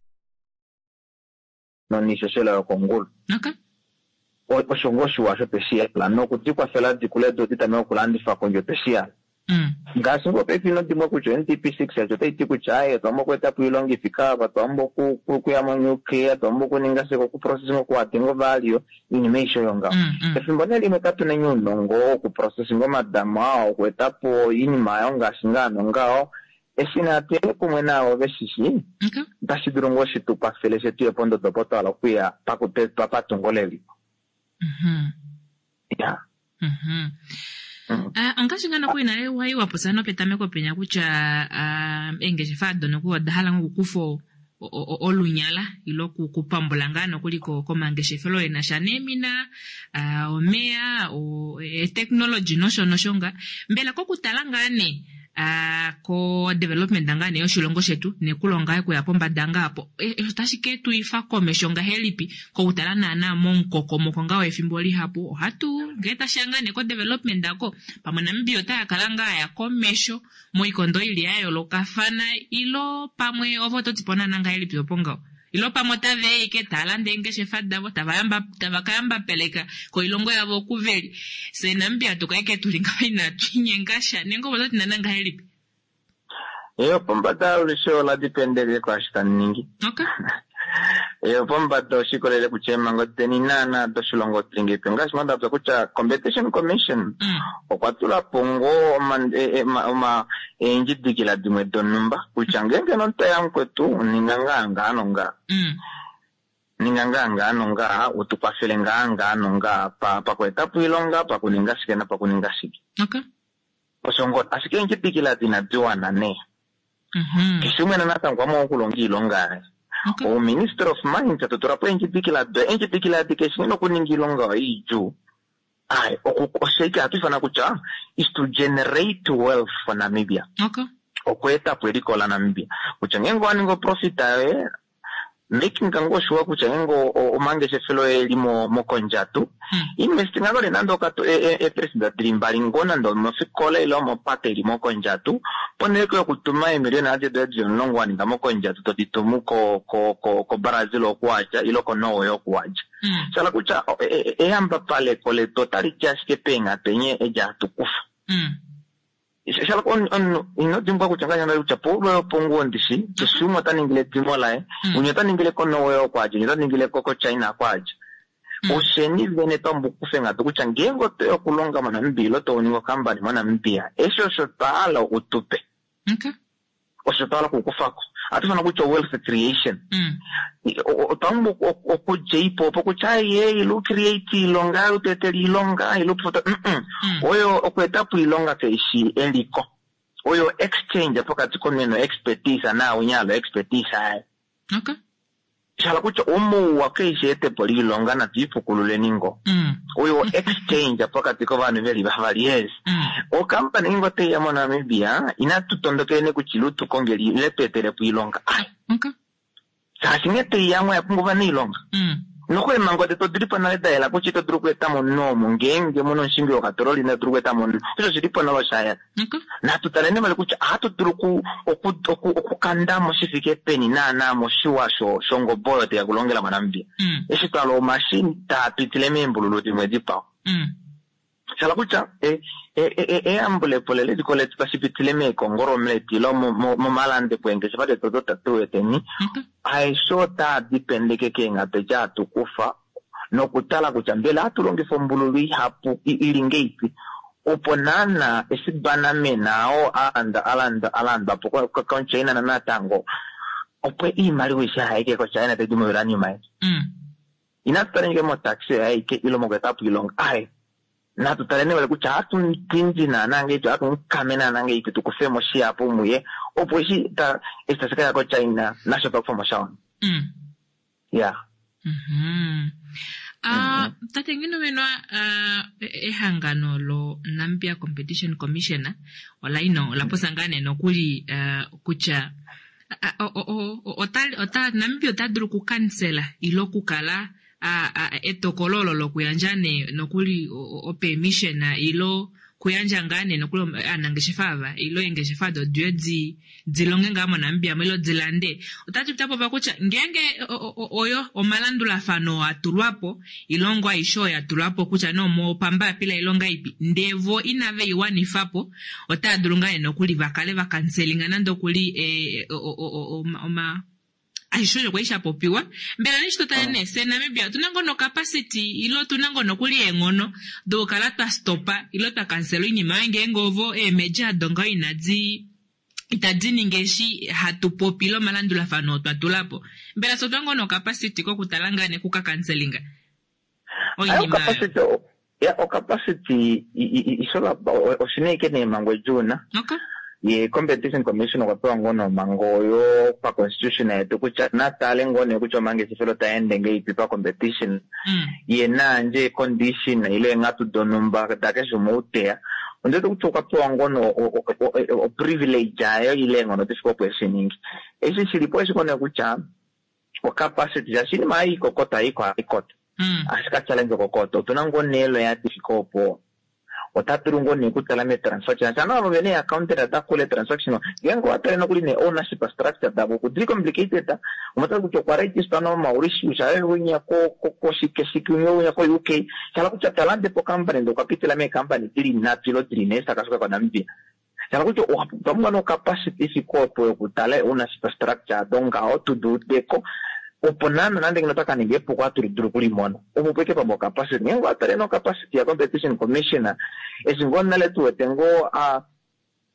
Nonishoshela yokongulu. Okay. Osho ngoo shiwa osho tweshi yala nokudikwafela dikule do ditame okulandifa kondje tweshi yala. Ngaashi ngoo paife ino dimwa kutya N T P six yacho otai ti kutya aye twambo okueta po iilonga ifika apa, twambo oku-, okuya mo-nuclear, twambo okuninga shike, okuprocessing, okuwatenga ovalio, iinima aishe oyo ngaho. Mm, mm. Efimbo nee limwe katu na ounongo wokuprocessing omadama oo, okueta po iinima ayo ngaashi ngaa nongaho. Eshi natu ye kumwe naavo veshishi, Okay. otashi dulu ngoo shi tu kwafele she tuye pondodo opo twa hala okuya pakutetwa patungo leliko. Mhm. Ya. Mhm. Mm. Ah, ongaashi ngaa nokuli nale wa yi wa popya nopetameko penya kutya, ah, eengeshefa ado nokuli oda hala ngoo okukufa o-, o-, o-, olunyala ile oku-, okupambula ngaa nokuli ko-, komangeshefelo e na sha neemina, ah, omeya, o-, e-technology nosho nosho ngaa. Mbela kokutala ngaa nee, ah, ko development ngaa nee yoshilongo shetu nekulonga okuya pombada ngaa po, e, e, otashi ke tu ifa komesho ngahelipi kokutala naana momukokomoko ngaa wefimbo lihapu? Ohatu ngee tashi ya ngaa nee ko development ako pamwe Namibia otaya kala ngaa ya komesho moikondo ili ya yoolokafana, ilo pamwe ovo oto ti po naana ngahelipi opo ngaho? Ilo pamwe otava eke tava landa eengeshefa davo, tava yamba, tava ka yamba peleka koilongo yavo okuveli. Se Namibia tu kaike tuli ngaho inatu inyenga sha. Nenge opo toti naana ngahelipi? Eyo pombada olushe ola dipendele kwaashi tandi ningi. Okay. Eyo pombada oshikolele kutya eemhango deni naana doshilongo tuli ngeipi. Ngaashi mwa ndapya kutya Competition Commission Mm. okwa tula po ngoo oma-, e-, e-, ma-, oma-, eendjidikila dimwe donhumba kutya ngeenge nomutu eya mukwetu, ninga ngaa ngaa nongaa. Mm. Ninga ngaa ngaa nongaa, u tu kwafele ngaa ngaa nongaa, pa-, pakueta po iilonga, pakuninga shike napakuninga shike. Okay. Osho ngoo, ashike eendjidikila dina diwana nee. Mhm. Keshe umwe natango okwa okulonga iilonga yaye. Okay. O Minister of Mines to tula po eendjidikila do, eendjidikila di keshe nokuninga iilonga oyo idjuu. Ai, oku-, osheike hatu ifana kutya is to generate wealth for Namibia. Okay. Okweeta po eliko la Namibia. Kutya ngeenge owa ningi oprofit yoye, making ngoo sure kutya ngeenge o-, o-, omangeshefelo oye eli mo-, mokondjatu, Hmm. investing ngoo nande okatu, e, e, e, president dili mbali ngoo nande omofikola ile omopate ili mokondjatu, ponhele yokutuma eemiliona adishe doye dili omulongo wa ninga mokondjatu, to di tumu ko, ko, ko, ko Brazil okuwadja, ile ko Norway okuwadja. Hmm. Shala kutya, o, e, e, eyambapaleko letu otali ti ashike peenghatu enye edi hatu kufa. Hmm. Shala on, on, ino dimbwa kutya ngaashi nda kutya poulo yoponguwo ndishi, keshe umwe ota ningile edimo laye, Mm. umwe ota ningile ko Norway okwadja, umwe ota ningile ko, ko China okwadja. Mm. Osheni vene twa mbukufe ngatu kutya ngeenge oto ya okulonga moNamibia ile to ningi okampani moNamibia, eshi osho twa hala utupe. Okay. Osho twa hala okukufako. Ohatu ifana kutya wealth creation. Mm. O-, o-, otwa pumbwa oku-, oku-, okudja ipo opo kutya, ai, ei, ile ucreate iilonga, ile utuetele iilonga, ile utufoto, mm-mm. Mm. Oyo okweeta po iilonga kaishi eliko. Oyo exchange pokati komunhu no expertise na unyalo expertise aye. Okay. Shala kutya omouwa kaishi etepo liilonga natu ipukululeni ngo. Mm. Oyo exchange pokati kovanhu veli vavali, yes. Mm. Okampani ngo teiya moNamibia, inatu tondokeni kutya ile tukongeli, ile tuetele po iilonga. Ai. Okay. Shaashi nghee teiya mo oya pumbwa ova nailonga. Mm. Noku eemhango detu odi li po nale da yela kutya ito dulu okueta mo omunhu omu, ngeenge mu na omushingi wokatololi, ina dulu okueta mo omunhu. Osho oshi li po nale osha yela. Okay. Natu taleni vali kutya ohatu dulu oku-, oku-, oku-, okukanda mo shi fike peni naana moshiwa sho-, shongobo oyo teya kulongela moNamibia. Mm. Eshi twa hala omashini taa pitile meembululu dimwe dikwao. Mm. Shala kutya, e, e, e, e, eyambulepo leliko letu tashi pitile meekongolo mletu ile mo-, mo-, momalandepo eengeshefa detu odo tatu weteni. Okay. Aeshe otaa dipendeke keenghatu edi hatu kufa nokutala kutya mbela ohatu longifa ombululu ihapu i-, ili ngeipi opo naana eshi banamena oo alanda, alanda, alandwa po ko-, ko-, koChina na natango opo iimaliwa ishe haike koChina taidi mouranium aye. Mm. Inatu talenge motaxi aike ile mokueta po iilonga. Aye. Natu taleni vali kutya ohatu tindi naana ngeipi, ohatu mukame naana ngeipi, tu kufe mo shihapu muye, opo eshi ta-, eshi tashi ka ya koChina, nasho twa kufa mo sha wana. Mm. Yeah. Mm-hmm. Ah, tate Nghinomenwa, ah, ehangano lo Namibia Competition Commission ola ino ola posa ngaa nee nokuli ah, kutya ah, o- o- o- ota- ota- Namibia ota dulu okukansela ile okukala ah, ah, etokolo olo lokuyandja nee nokuli o- o permission ile kuyandja ngaa nee nokuli aanangeshefa ava ile eengeshefa ado diye di dilonge ngaa moNamibia mo ile dilande. Otati tapopa kutya ngeenge oyo omalandulafano atulwapo ilongo aishe oyo yatulwapo kutya nee omopambapila ilonga ipi ndee vo inave iwanifapo otava dulu ngaa nee nokuli vakale vakanselinga nande okuli eh, oma aishe osho kwali shapopiwa. Mbela neshi totale nee se Namibia otuna ngoo nocapacity ile otuna ngoo nokuli eenghono dokukala twa stopa ile twa kansela oinima oyo ngeenge ovo eemeja ado ngaho inadi itadi ningi eshi hatu popi ile omalandulafano oo twa tula po. Mbela fye otuna ngoo nocapacity kokutala ngaa nee kukakanselinga oinima oyo? Ya ocapacity isola oshina ike neemhango edjuuna. Okay. Ye Competition Commission okwa pewa ngoo nomhango oyo pa constitution yetu kutya natale ngoo nee kutya omangeshefelo taende ngeipi pa competition. Mm. Ye naandje condition ile eenghatu donhumba dakeshe umwe outeya. Ondiwete kutya okwa pewa ngoo no o privilege ayo ile eenghono difike opo eshiningi. Eshi shilipo eshi ngoo nee kutya ocapacity shaashi oinima ei ikokota haikota. Mm. Ashike challenge okokota. Otuna ngoo nee loya difike opo ota dulu ngoo nee okutala me-transaction. Shana avo vene accountant ata kule transaction. Ngeenge owatale nokuli ne ownership structure davo okudili complicated. Omotala kutya okwa register no Mauritius, aye winya ko ko shike shike winya ko U K. Shala kutya talande po company ndo okapitila me company dili nhatu ilo dili nhee takasuka kwa Namibia. Shala kutya otwa pumbwa no capacity ifike opo yokutala ownership structure dongaho tuduudeko. Opo nana nande ngeno otaka ninga epuko hatu dulu okulimona. Opo pweke pamwe capacity. Ngeenge owatale no capacity ya Competition Commission, eshi ngoo nale tuwete ngoo a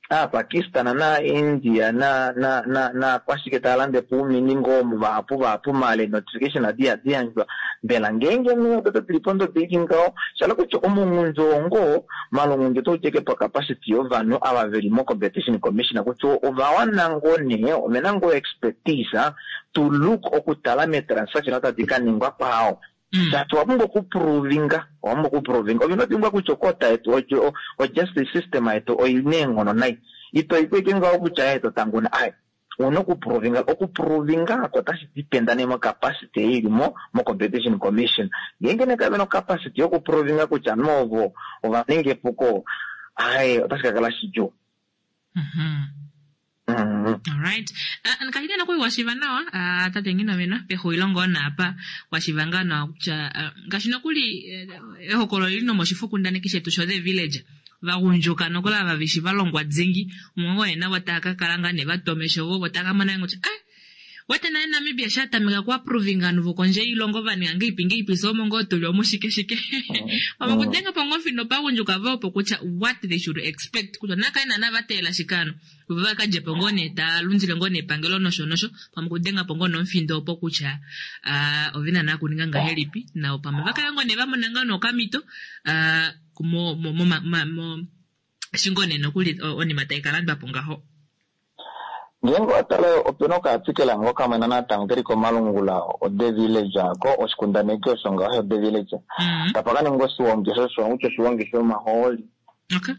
a Pakistan na India na na na na kwashike tava po oumini ngoo vahapu vahapu male notification adi hadi yandjwa. Mbela ngeenge nee odo tuli pondodo ili ngaho, shala kutya omungundu oo malungundu otauteke pa capacity yovanhu ava veli mo Competition Commission kutya ovawana ngoo nee ovena ngoo expertise to look okutala me-transaction otadi ka ningwa kwao. Shaashi owa pumbwa okuprovinga, owa pumbwa okuprovinga. Ovina otimbwa kutya okota yetu o justice system yetu oina eenghono nai. Ito ikweke ngaho kutya ye to tanguna ai. Una okuprovinga, okuprovinga ako otashi dependa nee mo capacity ili mo mo Competition Commission. Ngeenge nee kave no capacity yokuprovinga kutya novo ova ninga epuko, ai otashi ka kala shidjuu. Mhm. Mm. Alright. Uh, ngaashi nokuli washiva nawa uh, tate Nghinomenwa pexulilo ngoo naapa washiva ngaa nawa kutya uh, ngaashi nokuli ehokololo lili nomoshifokundaneki shetu sho The Village vagundjuka nokuli ava veshi valongwa dhingi umwe ngoo navo tava ka kala ngaa nee vatomesho vo tava ka mona kutya ah wete naye Namibia sha tameka ku approvinga ovanhu vokondje yoilongo vaninga ngeipi ngeipi so omo ngoo tuli omushike shike. Pamwe kudenga po ngoo fino pagundjuka vo opo kutya what they should expect kutya nakale naana vateelela shikano vo vakadje po ngoo nee taa lundile ngoo nee epangelo nosho nosho pamwe kudenga po ngoo nomufindo opo kutya uh, ovena naa kuninga ngahelipi nao pamwe vakale ngoo nee vamona ngoo nokamito uh, mo mo mo mo, mo eshi ngoo nee nokuli onima tai kalandwa po ngaho. Ngeenge watale opena okaartikela ngo kamwe natango keli komalungula o The Village ako oshikundaneki osho ngaho The Village. Mm. Tapa kaninga oshiwongi osho kutya oshiwongi shomahooli. Okay.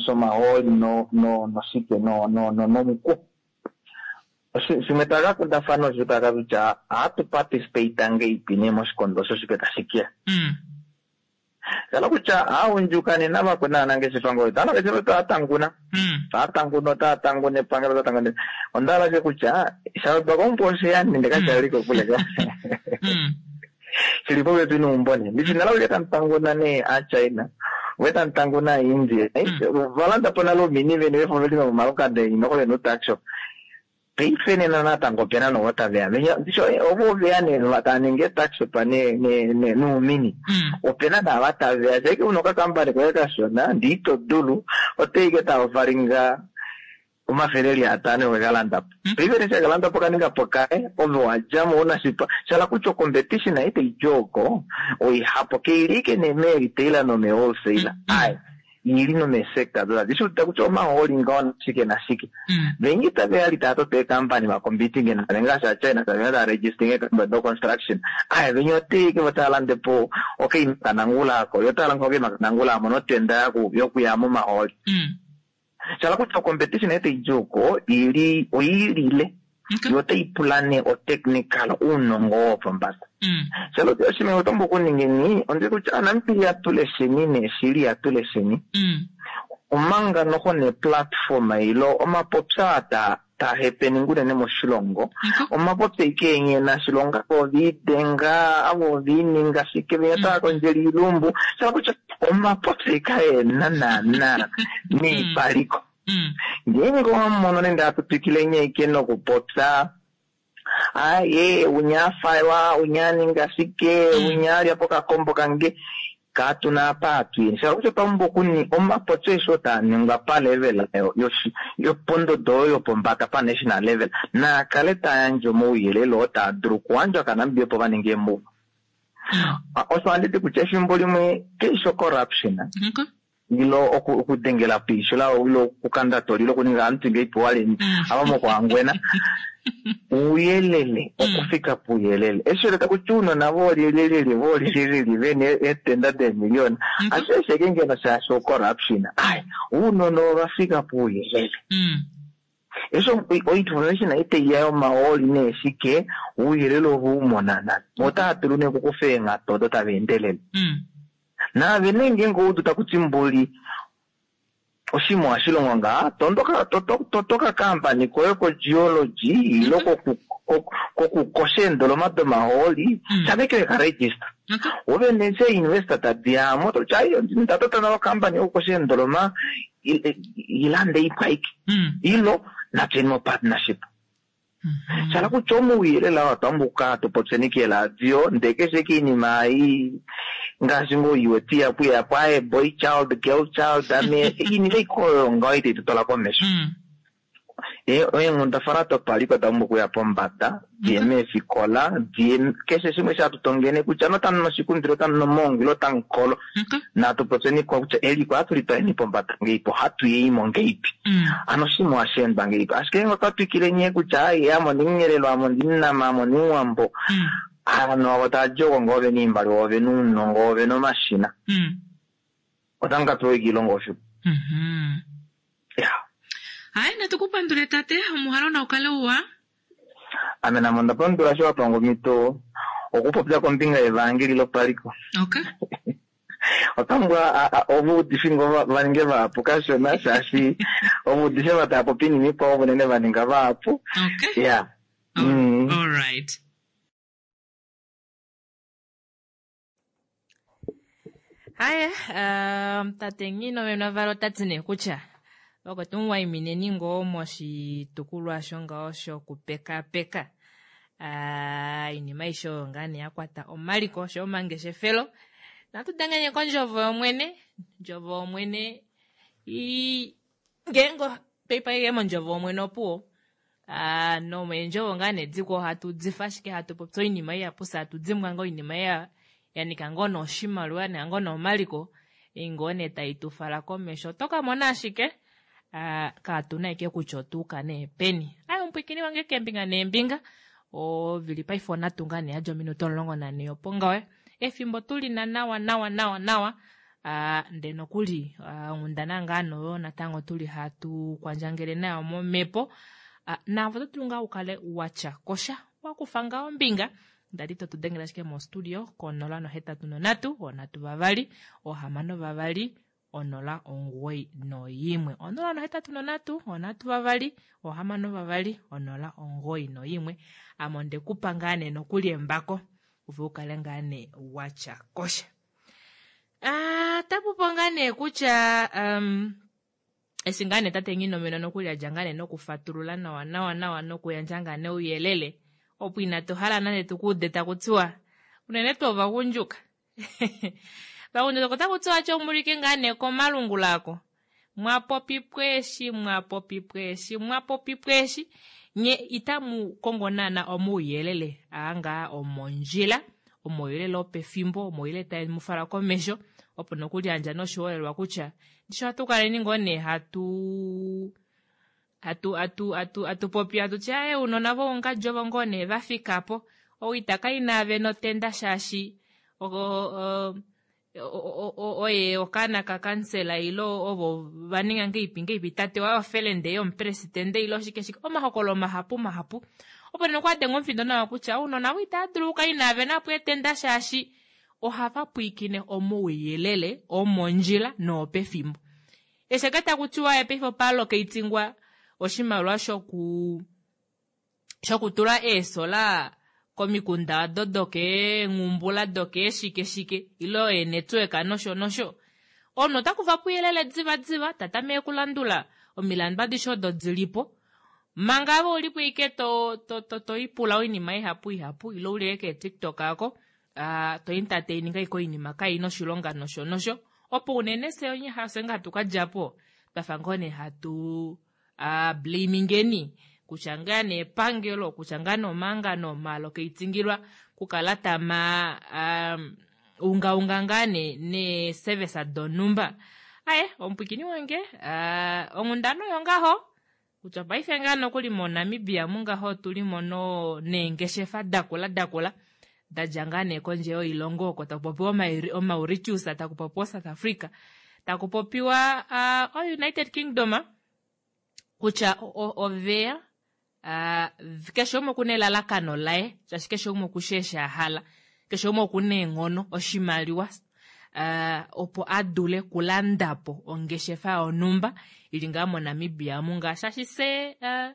Shomahooli no no noshike no no no nomuku. Shimwe taka kundafana osho taka kutya ohatu participate ngeipi nee moshikondo osho shipe tashi kiya. Mm. Shala kutya aagundjuka nena vakwena aanangeshefa ngoyo aanangeshefa taa tanguna. Mm. Taa tanguna otaa tanguna epangelo otaa tanguna. Onda hala she kutya shalodwa komumbo osheya nende kashali kokule ka. Mm. Shili popepi neumbo nee. Ndishi nala kutya tamu tanguna nee aaChina. Ve tamu tanguna aaIndia. Valanda po nale oumini veni vefo veli momalukanda eni nokole no-tuckshop. Paife nena natango opena novo taveya. Ndishi ovo veya nee tava ningi tuckshop ne ne ne nuumini. Mm. Opena naava taveya shaike una okakampani koye kashona ndee ito dulu oteike tavafalinga omafele eli atano wekalanda po. Paife neshi akalanda po kaninga po kaye ove wadjamo una shipa shala kutya competition itayi oko oihapo keili ike nee mee-retailer nomee-wholesaler. Ai ili nomeesekta doda dishuta kutya omahooli ngaho nashike nashike vengi tave ali tava toto eekampani vacompeting nave ngaashi aChina tave tava registering eekampani do-construction aye venye oteike vo tava lande po okeimakanangula ako yo tava lande okeimakanangula amo notenda yokuya momahooli. Shala kutya ocompetition etaidji oko ili oiilile yo otai pula nee otechnical ounongo wopombada. Shala kutya oshinima otombo okuningeni ondi kutya aNamibia tulesheni neeshili yatulesheni omanga noho neplatform ilo omapopya ta tahepeninga unene moshilongo omapopya ike enyena shilonga oviidenga avo oviininga shike venya tava kondjela iilumbu shala kutya omapopya ike ena naana neipaliko. Ngeenge owamono nende atutwikile nye nokupopya aye unyafaiwa unyaninga shike unyalya pokakombo kange katuna apa atuyeni shala kutya otwapumbwa okuni omapopyo esho taa ningwa palevel yopondodo oyo yopombada pa national level naakale tayandje omauyelele oo taa dulu okuyandjwa kaNamibia opo vaninge eemove. Osho handiti kutya efimbo limwe keisho corruption ilo okudengela piisho lao ilo okukanda toli ilo okuninga aantu ngeipewa leni ava mokuhangwena ouyelele okufika puuyelele eshi leta kutya uunona volyelyelyelye volyelyelyelye vene eetenda deemiliyona ashike ngeno shaashi ocorruption ai uunona ovafika puuyelele esho oinformation itaiya yomahooli neeshike ouyelele ovo umonana otaa dulu nee okukufa eenghatu odo tava endelele. Naave nee ngeenge oudu takuti mbuli oshimwe ohashi ngaa tondoka totoka kampani koye kogeology ilo kokukosha eendoloma domahooli shameke weka register ove nee investor tadiyamo totya ai ndatota nalo kampani yokukosha eendoloma ilande ipwaike ilo natuyeni mo partnership. Shala kutya omauyelele oo twambu okukala tupopyeni keeladio ndee keshe kiinima ei ngaashi ngoo iweti yapu yapo aye boy child girl child ame iinima ikoyo ngaho itayi tutola komesho. Eenghundafana dopaliko oda pumbwa okuya pombada diye meefikola diye keshe shimwe shatutongene kutya notamu noshikundilo otamu nomoongo ile otamu kolo natu popyeni kutya eliko ohatu litwaleni pombada ngeipi ohatu yeimo ngeipi ano oshimwe ohashi endwa ngeipi ashike ngeenge otwa twikile nyee kutya ai ame ondimunyelelo ame ondimunama ame ondimuwambo ovanhu avo tava oko ngoo vena oimaliwa ovena ounongo ovena omashina otamu ka pewa iilonga oshipu. Ya hayi natukupandule tate omuhalo naukale uwa ame namo onda pandula sho wapanga omhito okupopya kombinga yevangeli lopaliko. Okay. Otambwa ovuudifi ngo vaninge vahapu kashona shaashi ovuudifi ava tava popi iinima ikwao unene vaninga vahapu. Okay. Yeah. Mm. All right. Haya, um, tate Ngino Menavalo tati nee kutya oko tumuwaimineni ngoo moshitukulwa shongaho shokupekapeka iinima aishe oyo ngaa nee yakwata omaliko osho omangeshefelo natu denganye kondjovo yomwene ndjovo yomwene ngeenge paipa mondjovo yomwene opuwo nomeendjovo ngaa nee dikwo ohatu difa ashike hatu popi oinima ihapu fye hatu dimbwa ngoo oinima yanika ngoo noshimaliwa yanika ngoo nomaliko ngoo nee tai tufala komesho oto kamona ashike katuna ashike kutya otuuka nee peni. Ayi omupwiikini wange keembinga neembinga ovili paife onhatu ngaa nee yadja ominute omulongo nanhee opo ngaho efimbo tulina nawa nawa nawa nawa ndee nokuli onghundana ngaa noyo natango tuli hatu kwandjangele nayo momhepo naavo oto dulu ngaa ukale watya kosha wakufa ngaa ombinga ndali totudengele ashike mostudio konola nohetatu nonhatu onhatu vavali ohamano vavali onola omugoyi noyimwe onola nohetatu nonhatu onhatu vavali ohamano vavali onola omugoyi noyimwe ame ondekupa ngaa nee nokuli embako ove ukale ngaa nee watya kosha. Tapupo ngaa nee kutya um, eshi ngaa nee tate Nghinomeno nokuli adja ngaa nee nokufatulula nawa nawa nawa nokuyandja ngaa nee ouyelele opo inatu hala nande tukuude takutiwa unene tuu ovagundjuka vagundjuka otaku tiwa tyo mulike ngaa nee komalungula ako mwapopipwa eshi mwapopipwa eshi mwapopipwa eshi nye itamu kongo naana omauyelele aangaa omondjila omauyelele opefimbo omauyelele tae mufala komesho Opo nokuliyandja noshiholelwa kutya ndishi ohatu kaleni ngoo nee hatu hatu hatu hatu hatu popi hatu ti aye ounona voungadji ovo ngoo nee vafikapo ou itaka inaave notenda shaashi oye okaana kakansela ile ovo vaninga ngeipi ngeipi tate waye ofelende yomupresidente ile oshike shike omahokololo mahapu mahapu opo nee okwadenga omufindo nawa kutya ounona avo itava dulu okukala inaave napo etenda shaashi ohava pwiikine omauyelele omondjila noopefimbo. Eshi taku tiwa paife opalokeitingwa oshimaliwa shoku shokutula eesola komikunda odo dokeengumbula dokeeshike shike ile eenetwork nosho nosho. Omunhu ota kufa pouyelele diva diva tatameke okulandula omilandu adishe odo dilipo manga ave ulipo ike to, to, to, to ipula oinima ihapu ihapu ile uli ke TikTok ako uh, to entertaininga ike oinima kaina oshilonga nosho nosho opo unene fye onye fye nga hatu kadjapo twafa ngoo nee hatu uh, blamingeni kutya ngaa nee epangelo kutya ngaa nee omahangano omaalokeitingilwa kukala tama um, ungaunga ngaa nee neeservice donhumba. Aye omupwikini wange uh, onghundana oyo ngaho kutya paife ngaa nokuli moNamibia mungaho tulimo no neengeshefa dakula dakula dadja ngaa nee kondje yoilongo oko taku popiwa oMauritius, taku popiwa South Africa, taku popiwa uh, o-United Kingdom kutya oveya uh, keshe umwe okuna elalakano laye shaashi keshe umwe okushi eshi a hala, keshe umwe okuna eenghono oshimaliwa uh, opo adule kulandapo ongeshefa yonhumba ili ngaa moNamibia munga shaashi se uh,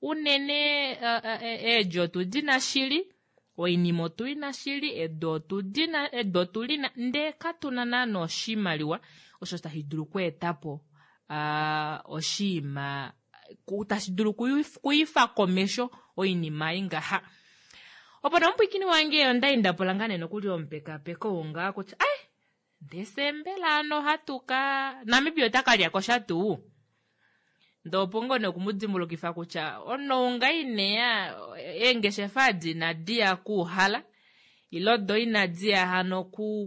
unene uh, uh, eedjo otudina shili oinima otulina shili edu otudina edu otulina ndee katuna naana oshimaliwa osho tashi dulu okweetapo uh, oshiima tashi dulu kuifa komesho oinima ingaha. Opo nomupwikini wange onda indapola ngaa nee nokuli omupekapeko wongaa kutya ai ndee mbela ano hatuka Namibia ota ka sha tuu ndee opo ngoo nee okumudimbulukifa kutya onounga ineya eengeshefa adi inadi ya kuuhala ile odo inadi ya hano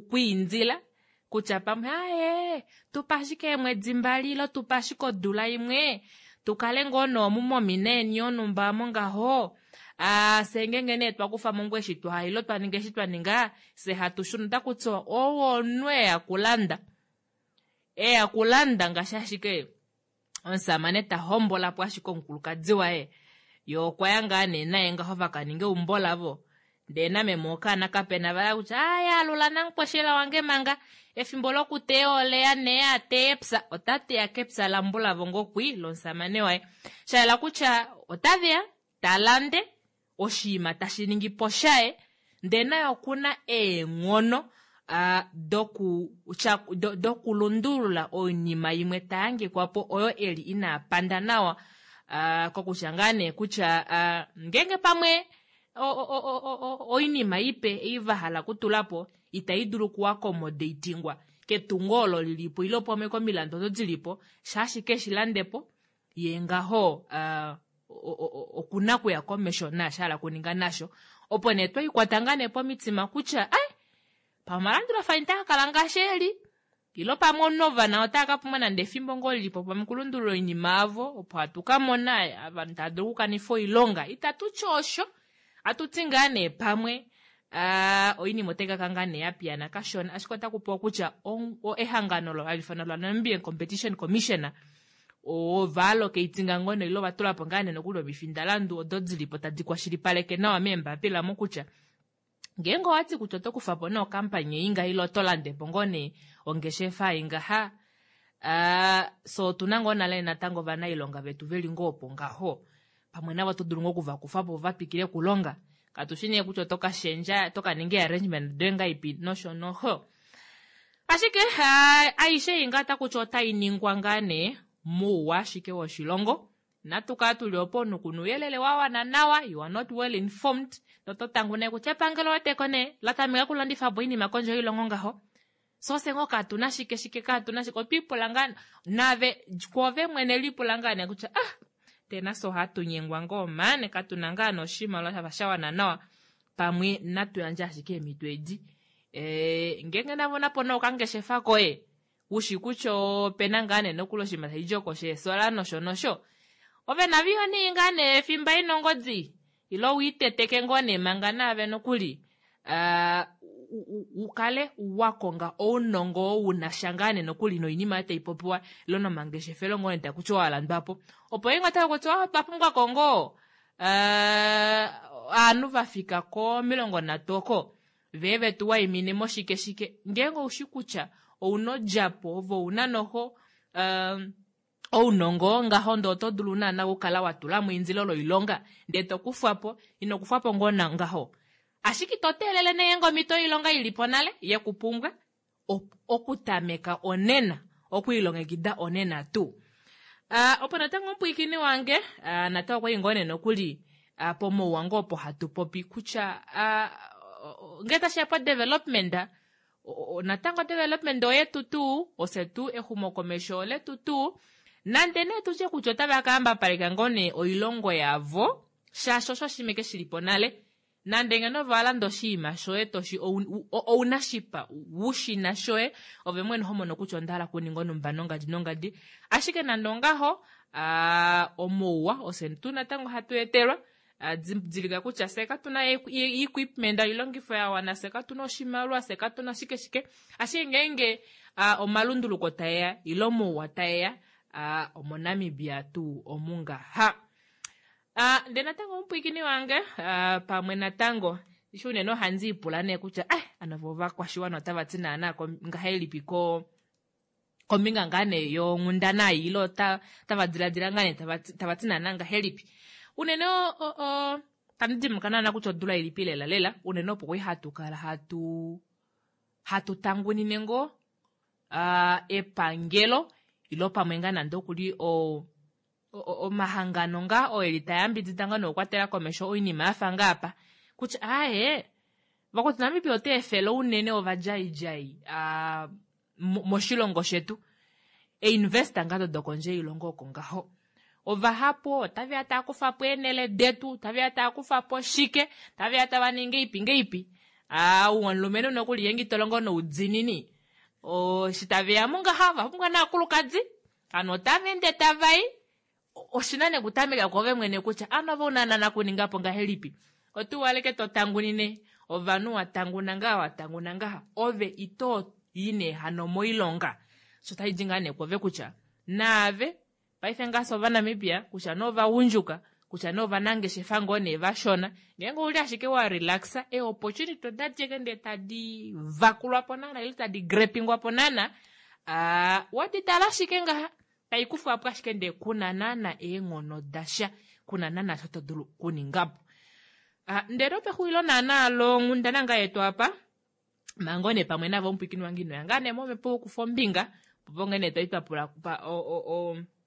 kwiindila kutya pamwe aye tupa ashike eemwedi mbali ile tupa ashike odula imwe tukale ngoo noomu momina eni yonhumba mongaho ah fye ngenge nee twakufamo ngoo eshi twahala ile twaninga eshi twaninga fye hatu shuna otaku tiwa owo omunhu eya kulanda eya kulanda ngaashi ashike omusamane ta hombolapo ashike omukulukadi waye ye okwaya ngaa nee naye ngaho vakaninga eumbo lavo ndee nameme okaana kapena vaya kutya aya alula namukweshela wange manga efimbo lokuteya oleya nee ateya epya ota teya kepya lambulavo ngokwi lomusamane waye shayela kutya otaveya talande oshiima tashi ningi po shaye ndee naye okuna eenghono uh, doku do, dokulundulula oinima imwe tayangikwapo oyo eli inapanda nawa uh, kokutya ngaa nee kutya uh, ngenge pamwe oinima ipe ei vahala kutulapo itai dulu okuaccommodatingwa ketungo olo lilipo ile pamwe komilandu odo dilipo shaashi keshi landepo ye ngaho uh, okuna kuya komesho naashi hala kuninga nasho. Opo nee twaikwata ngaa nee pomitima kutya ai pamalandulafano itaa kala ngaashi eli ilo pamwe onovana otaa ka pumbwa nande efimbo ngoo lilipo pamwe kulundulula oinima avo opo hatu ka mona ovanhu tava dulu okukanifa oilonga itatu ti osho atuti ngaa nee pamwe uh, oinima otai kaka ngaa nee yapiyana kashona ashike otaku pewa kutya ehangano olo hali ifanwa la Namibian Competition Commissioner ovaalokeitinga ngoo nee ile ovatulapo ngaa nee nokuli omifindalandu odo dilipo tadi kwashilipaleke nawa meembapila mo kutya ngeenge owati kutya oto kufapo nee okampani inga ile oto landepo ngoo nee ongeshefa ingaha uh, so otuna ngoo nale natango ovanailonga vetu veli ngoo opo ngaho pamwe navo oto dulu ngoo okuvakufapo vatwikile okulonga katushi nee kutya oto kashendja oto kaninga arrangement doye ngaipi nosho noho ashike uh, aishe inga otakutya otai ningwa ngaa nee mouwa ashike woshilongo natu kala tuli opo omunhu kuna ouyelele wa wana nawa you are not well informed noto tangu nee kutya epangelo oteko nee latameka okulandifapo oinima kondje yoilongo ngaho so fye ngoo katuna shike shike katuna shike otwiipula ngaa nave kwoove mwene lipula ngaa nee kutya ah tena so ohatu nyengwa ngoo mane katuna ngaa noshimaliwa shafa sha wana nawa pamwe natu yandje ashike eemhito edi E, ngeenge navo napo nee okangeshefa koye ushi kutya opena ngaa nee nokuli oshinima tashi oko sheesola nosho nosho ove naviyo nee ngaa nee fimba ina ongodi ile wiiteteke ngoo nee manga naave nokuli uh, ukale wakonga ounongo oo unasha ngaa nee nokuli noinima oyo taipopiwa ile nomangeshefelo ngoo nee takuti walandwapo opo inga takuti otwa pumbwa ko ngoo uh, ovanhu vafika komilongo nhatu oko vee vetu waimine moshike shike ngeenge oushi kutya ouna odjapo ove ouna noho um, ounongo ngaho ndee oto dulu naana okukala watulamo eindilo loilonga ndee tokufwapo ino kufwapo ngoo ngaho ashike ito teelele nee ngeenge omhito yoilonga ilipo nale yekupumbwa okutameka onena okwiilongekida onena tuu. Uh, opo natango omupwiikini wange uh, natango okwali ngoo nee nokuli uh, pomauwa ngoo opo hatu popi kutya uh, ngee tashiya po development natango development oyetu tuu ofye tuu exumokomesho oletu tuu nande nee tutye kutya otava ka ngoo nee oilongo yavo shaashi osho oshinima ke shilipo nale nande ngeno ove walanda oshinima shoye toshi ounashipa wushina shoye ove mwene homono kutya ondahala okuninga onumba nongadi nongadi ashike nande ongaho omauwa ofye tuu natango hatu etelwa didilika kutya fye katuna equipment oilongifo ya wana fye katuna oshimaliwa fye katuna shike shike ashike ngeenge omalunduluko taeya ile omauwa taeya omoNamibia tuu omungaha. Uh, ndee natango omupwiikini wange uh, pamwe natango ishi unene ohandi ipula nee kutya eh, ano vo ovakwashiwana otava ti naana ngahelipi ko kombinga ngaa nee yonghundana ei ile otava diladila ngaa nee tava ti naana ngahelipi unene tandi dimbuluka naana kutya odula ilipi lela lela unene opo kwali hatu kala hatu hatu tangunine ngoo uh, epangelo ilo pamwe ngaa nande okuli o omahangano ngaa oo eli tayambidida ngaa nokukwatela komesho oinima yafa ngaapa kutya aaye vakuti Namibia ota efele unene ovadjaidjai uh, moshilongo shetu einvesta ngaa dodokondje yoilongo oko ngaho ovahapu otaveya tava kufapo eenele detu taveya tava kufapo shike taveya tava ningi ipi ngeipi aa omulumenhu nokuli yenge itolongo noudinini eshi taveyamo ngaha ovapumbwa naakulukadi hano otava ende tavai oshina nee kutameka kwoove mwene kutya ano ove una naana kuningapo ngahelipi otuwaleke totangunine ovanhu watanguna ngaha watanguna ngaha ove ito i nee hano moilonga sho taidi ngaa nee kwoove kutya naave paife ngaashi ovanamibia kutya nee ovagundjuka kutya nee ovanangeshefa ngoo nee vashona ngeenge ouli ashike wa relaxa e opportunity odadi eke ndee tadi vakulwapo naana ile tadi grepingwapo naana uh, waditala ashike ngaha taikufwapo ashike ndee kuna naana eenghono dasha kuna naana sho todulu okuningapo. Uh, ndele opexulilo naana longhundana ngaa yetu apa manga nee pamwe navo omupwiikini wange inoya ngaa nee momhepo wokufa ombinga opo ngee nee twali twapula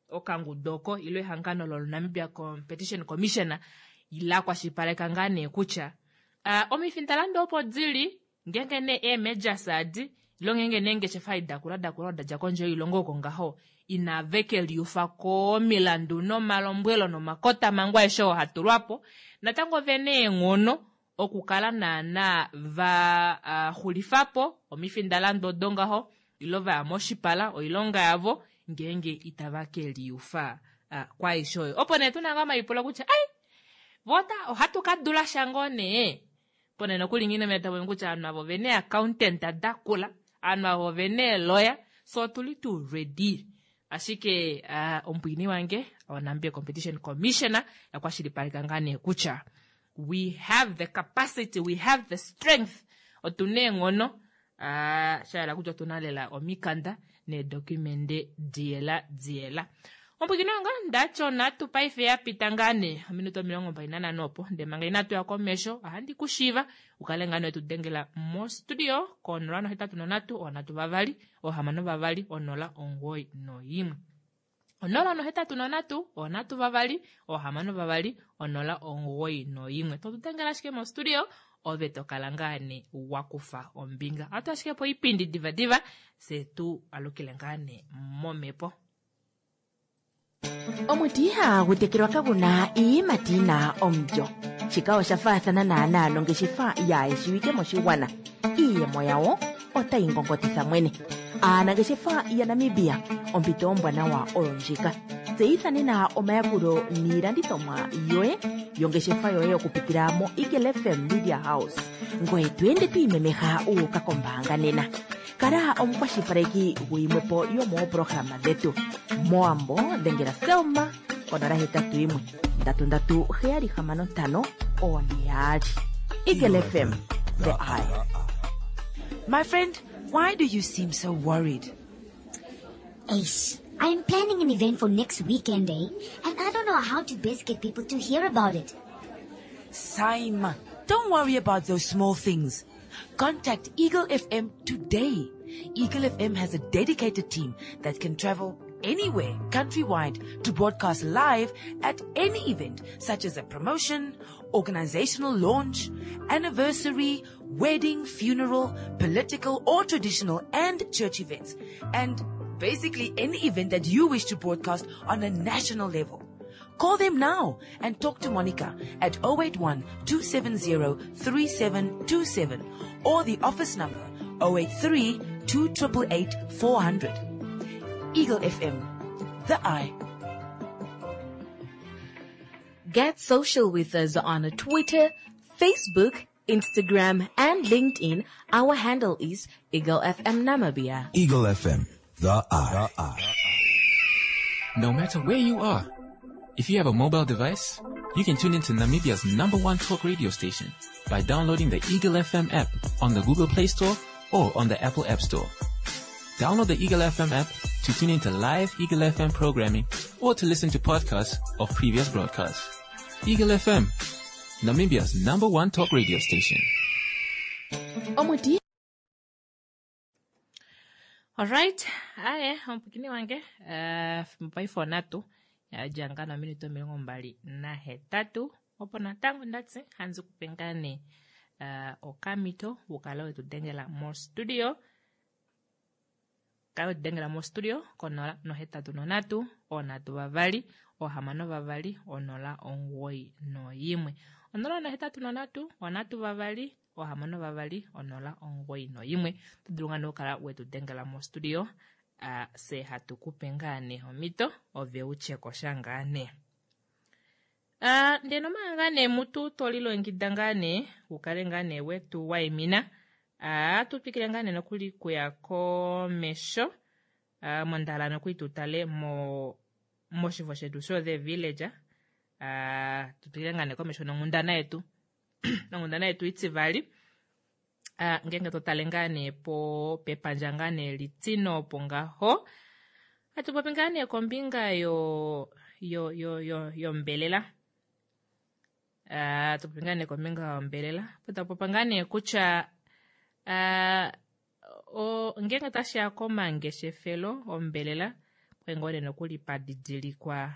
okangudu oko ile ehangano loNamibia Competition Commission la kwashilipaleka ngaa nee kutya uh, omifindalando opo dili ngeenge nee eemejors adi ile ngeenge nee eengeshefa dakula dakula dadja kondje yoilongo oko ngaho inave keliufa komilandu nomalombwelo nomakotamhango aeshe oo hatulwapo natango vena eenghono okukala naana va uh, xulifapo omifindalando odo ngaho ile vaya moshipala oilonga yavo ngeenge itava keliufa uh, kwaaishe oyo opo nee tuna ngaa omaipulo kutya ai vota ohatu ka dula sha ngoo nee opo nee nokuli nghi tavomi kutya ovanhu avo ovena accountant dakula ovanhu avo ovena eeloya so otuli tuu ready ashike uh, omupwiini wange oNamibia Competition Commissioner yakwashilipaleka ngaa nee kutya we have the capacity we have the strength otuna eenghono uh, shayela kutya otuna lela omikanda needokumende diyela diyela. Omupwiikini wange ndati onhatu paife yapita ngaa nee ominute omilongo mbali nanhano opo ndee manga inatu ya komesho ohandi kushiiva ukale ngaa nee tudengela mostudio ko nola nohetatu nonhatu onhatu vavali ohamano vavali onola omugoyi noimwe onola nohetatu nonhatu onhatu vavali ohamano vavali onola omugoyi noimwe totudengela ashike mostudio ove tokala ngaa nee wakufa ombinga ohatu ashike po oipindi divadiva fye tu alukile ngaa nee momhepo. Omuti ihagu tekelwa kaguna iiyimati yina omulyo. Shika osha faathana naanaa nongeshefa yaayeshiwike moshigwana. Iiyemo yawo otayi ngongotitha mwene. Aanangeshefa yaNamibia, ompito ombwanawa oyo ndjika. Tseyitha nena omayakulo niilandithomwa yoye yongeshefa yoye okupitila mo Eagle F M Media House, ngoye to ende to imemeha wu uka kombaanga nena. Kala omukwashilipaleki guyimwe po yomoopolohalama dhetu. Mowambo dhengela Selma konola hetatu yimwe ndatu ndatu heyali hamano ntano one yaali. Eagle F M, the eye. My friend, why do you seem so worried? Ace, I'm planning an event for next weekend, eh? And I don't know how to best get people to hear about it. Simon, don't worry about those small things. Contact Eagle F M today. Eagle F M has a dedicated team that can travel anywhere countrywide to broadcast live at any event, such as a promotion, organizational launch, anniversary, wedding, funeral, political or traditional and church events, and basically any event that you wish to broadcast on a national level. Call them now and talk to Monica at oh eight one two seven zero three seven two seven or the office number oh eight three two eight eight four hundred. Eagle F M, the eye. Get social with us on Twitter, Facebook, Instagram, and LinkedIn. Our handle is Eagle F M Namibia. Eagle F M, the eye. The eye. No matter where you are, if you have a mobile device, you can tune into Namibia's number one talk radio station by downloading the Eagle F M app on the Google Play Store or on the Apple App Store. Download the Eagle F M app to tune into live Eagle F M programming or to listen to podcasts of previous broadcasts. Eagle F M, Namibia's number one talk radio station. Omuti Alright, aye, omupwikini wange uh, mopaife onatu yadja ngaa nominute omilongo mbali nahetatu opo natango ndatsi hanzi kupe ngaa nee uh, okamito wukale wetu dengela mostudio, kale wetu dengela mostudio konola nohetatu nonatu onatu vavali ohamano vavali onola omugoyi noyimwe, onola nohetatu nonatu onatu vavali ohamano vavali onola omugoyi noyimwe. Oto dulu ngaa nee okukala wetu dengela mostudio, uh, se hatu kupe ngaa nee omhito ove utyeko sha ngaa nee. Uh, ndee nomanga ngaa nee mutu tolilongekida ngaa nee ukale ngaa nee wetu waimina, uh, tu twikile ngaa nee nokuli kuya komesho, uh, mondala nokuli tutale mo moshifo shetu sho The Village, uh, tutwikile ngaa nee komesho nonghundana yetu nonghundana yetu itivali. Uh, ngenge totale ngaa nee po pepandja ngaa nee litino opo ngaho hatu popi ngaa nee kombinga yo yo yo yo yombelela. Uh, tupopi ngaa nee kombinga yombelela po tapopa ngaa nee kutya uh, o, ngenge tashiya komangeshefelo ombelela kwali ngoo nee nokuli padidilikwa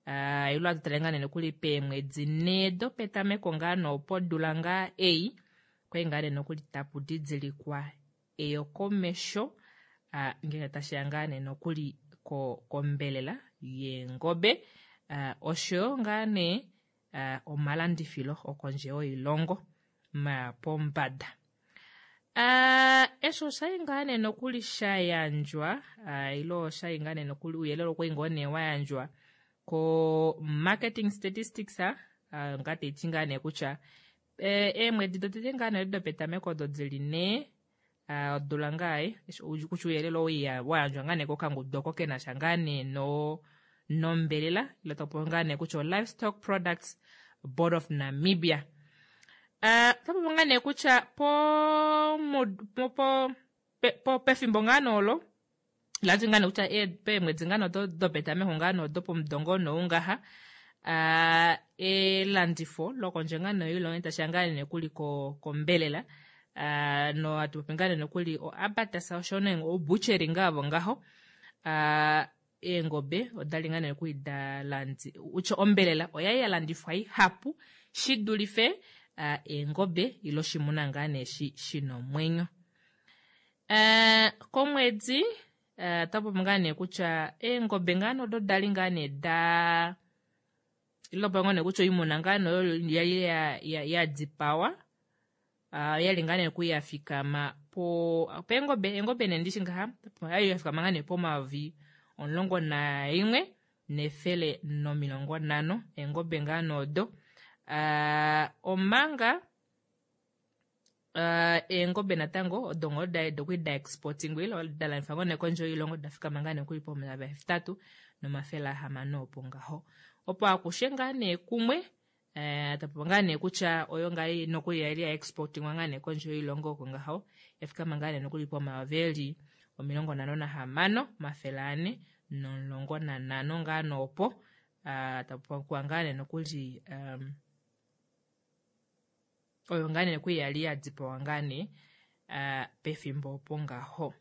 uh, ilo atutale ngaa nee nokuli peemwedi nhee dopetameko ngaa noopodula ngaa ei kwali ngaa nee nokuli tapu didilikwa eyokomesho uh, ngenge tashiya ngaa nee nokuli ko, kombelela yeengobe uh, oshoyo ngaa nee uh, omalandifilo okondje yoilongo maya pombada. Uh, eshi oshali ngaa nee nokuli sha yandjwa uh, ilo oshali ngaa nee nokuli ouyelele okwali ngoo nee wa yandjwa ko Marketing Statistics, uh, nga taiti ngaa nee kutya eemwedi dotete ngaa nee dopetameko odo dili nhee uh, odula ngaa kutya ouyelele oo wa yandjwa ngaa nee kokangudu oko kenasha ngaa nee no nombelela ilo tapopi ngaa nee kutya o Livestock Products Board of Namibia. Uh, tapopi ngaa nee kutya po, po, po, pe, po pefimbo ngaa noolo lati ngaa nee kutya peemwedi ngaa nee dopetameko ngaa nee dopomudo ngoo noungaha uh, elandifo lokondje ngaa nee yoilongo tashiya ngaa nee nokuli kombelela uh, no hatu popi ngaa nee nokuli o abattoirs osho nee o butchery ngaa avo ngaho, uh, eengobe odali ngaa nee nokuli da landi utya ombelela oyali ya landifwa ihapu shidulife uh, eengobe ilo oshimuna ngaa nee shi shina omwenyo. Uh, komwedi uh, otapopi ngaa nee kutya eengobe ngaa nee odo dali ngaa nee da Ilo pa ngoo nee kutya oimuna ngaa nee oyo yali ya, ya, ya dipawa uh, yali ngaa nee nokuli ya fikama po peengobe eengobe nee ndishi ngaha yali ya fikama ngaa nee pomayovi omulongo naimwe nefele nomilongo nhano eengobe ngaa nee odo uh, omanga uh, eengobe natango odo ngoo da dokuli da exportingwa ile da landifwa ngoo nee kondje yoilongo da fikama ngaa nee nokuli pomayovi ahetatu nomafele ahamano opo ngaho opo akushe ngaa nee kumwe eh, tapopi ngaa nee kutya oyo ngaa nokuli yali ya exportingwa ngaa nee kondje yoilongo oko ngaho yafikama ngaa nee nokuli pomayovi eli omilongo nhano nahamano omafele ane nomulongo nanhano ngaa noopo uh, tapopiwa ngaa nee nokuli um, oyo ngaa nee nokuli yali ya dipawa ngaa nee uh, pefimbo opo ngaho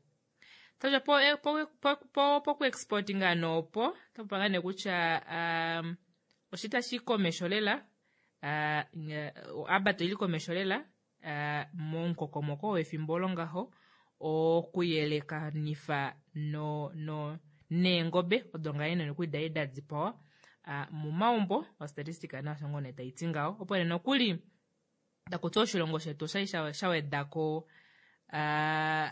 tadja po, po, po, po, poku exportinga noopo tapopiwa ngaa nee kutya um, oshita shi komesho lela uh, abat oili komesho lela uh, momukokomoko wefimbo olo ngaho okuyelekanifa no, no neengobe odo ngaa nee nokuli dali da dipawa uh, momaumbo ostatistika nasho ngoo nee taiti ngaho opo nee nokuli takuti oshilongo shetu oshali sha wedako uh,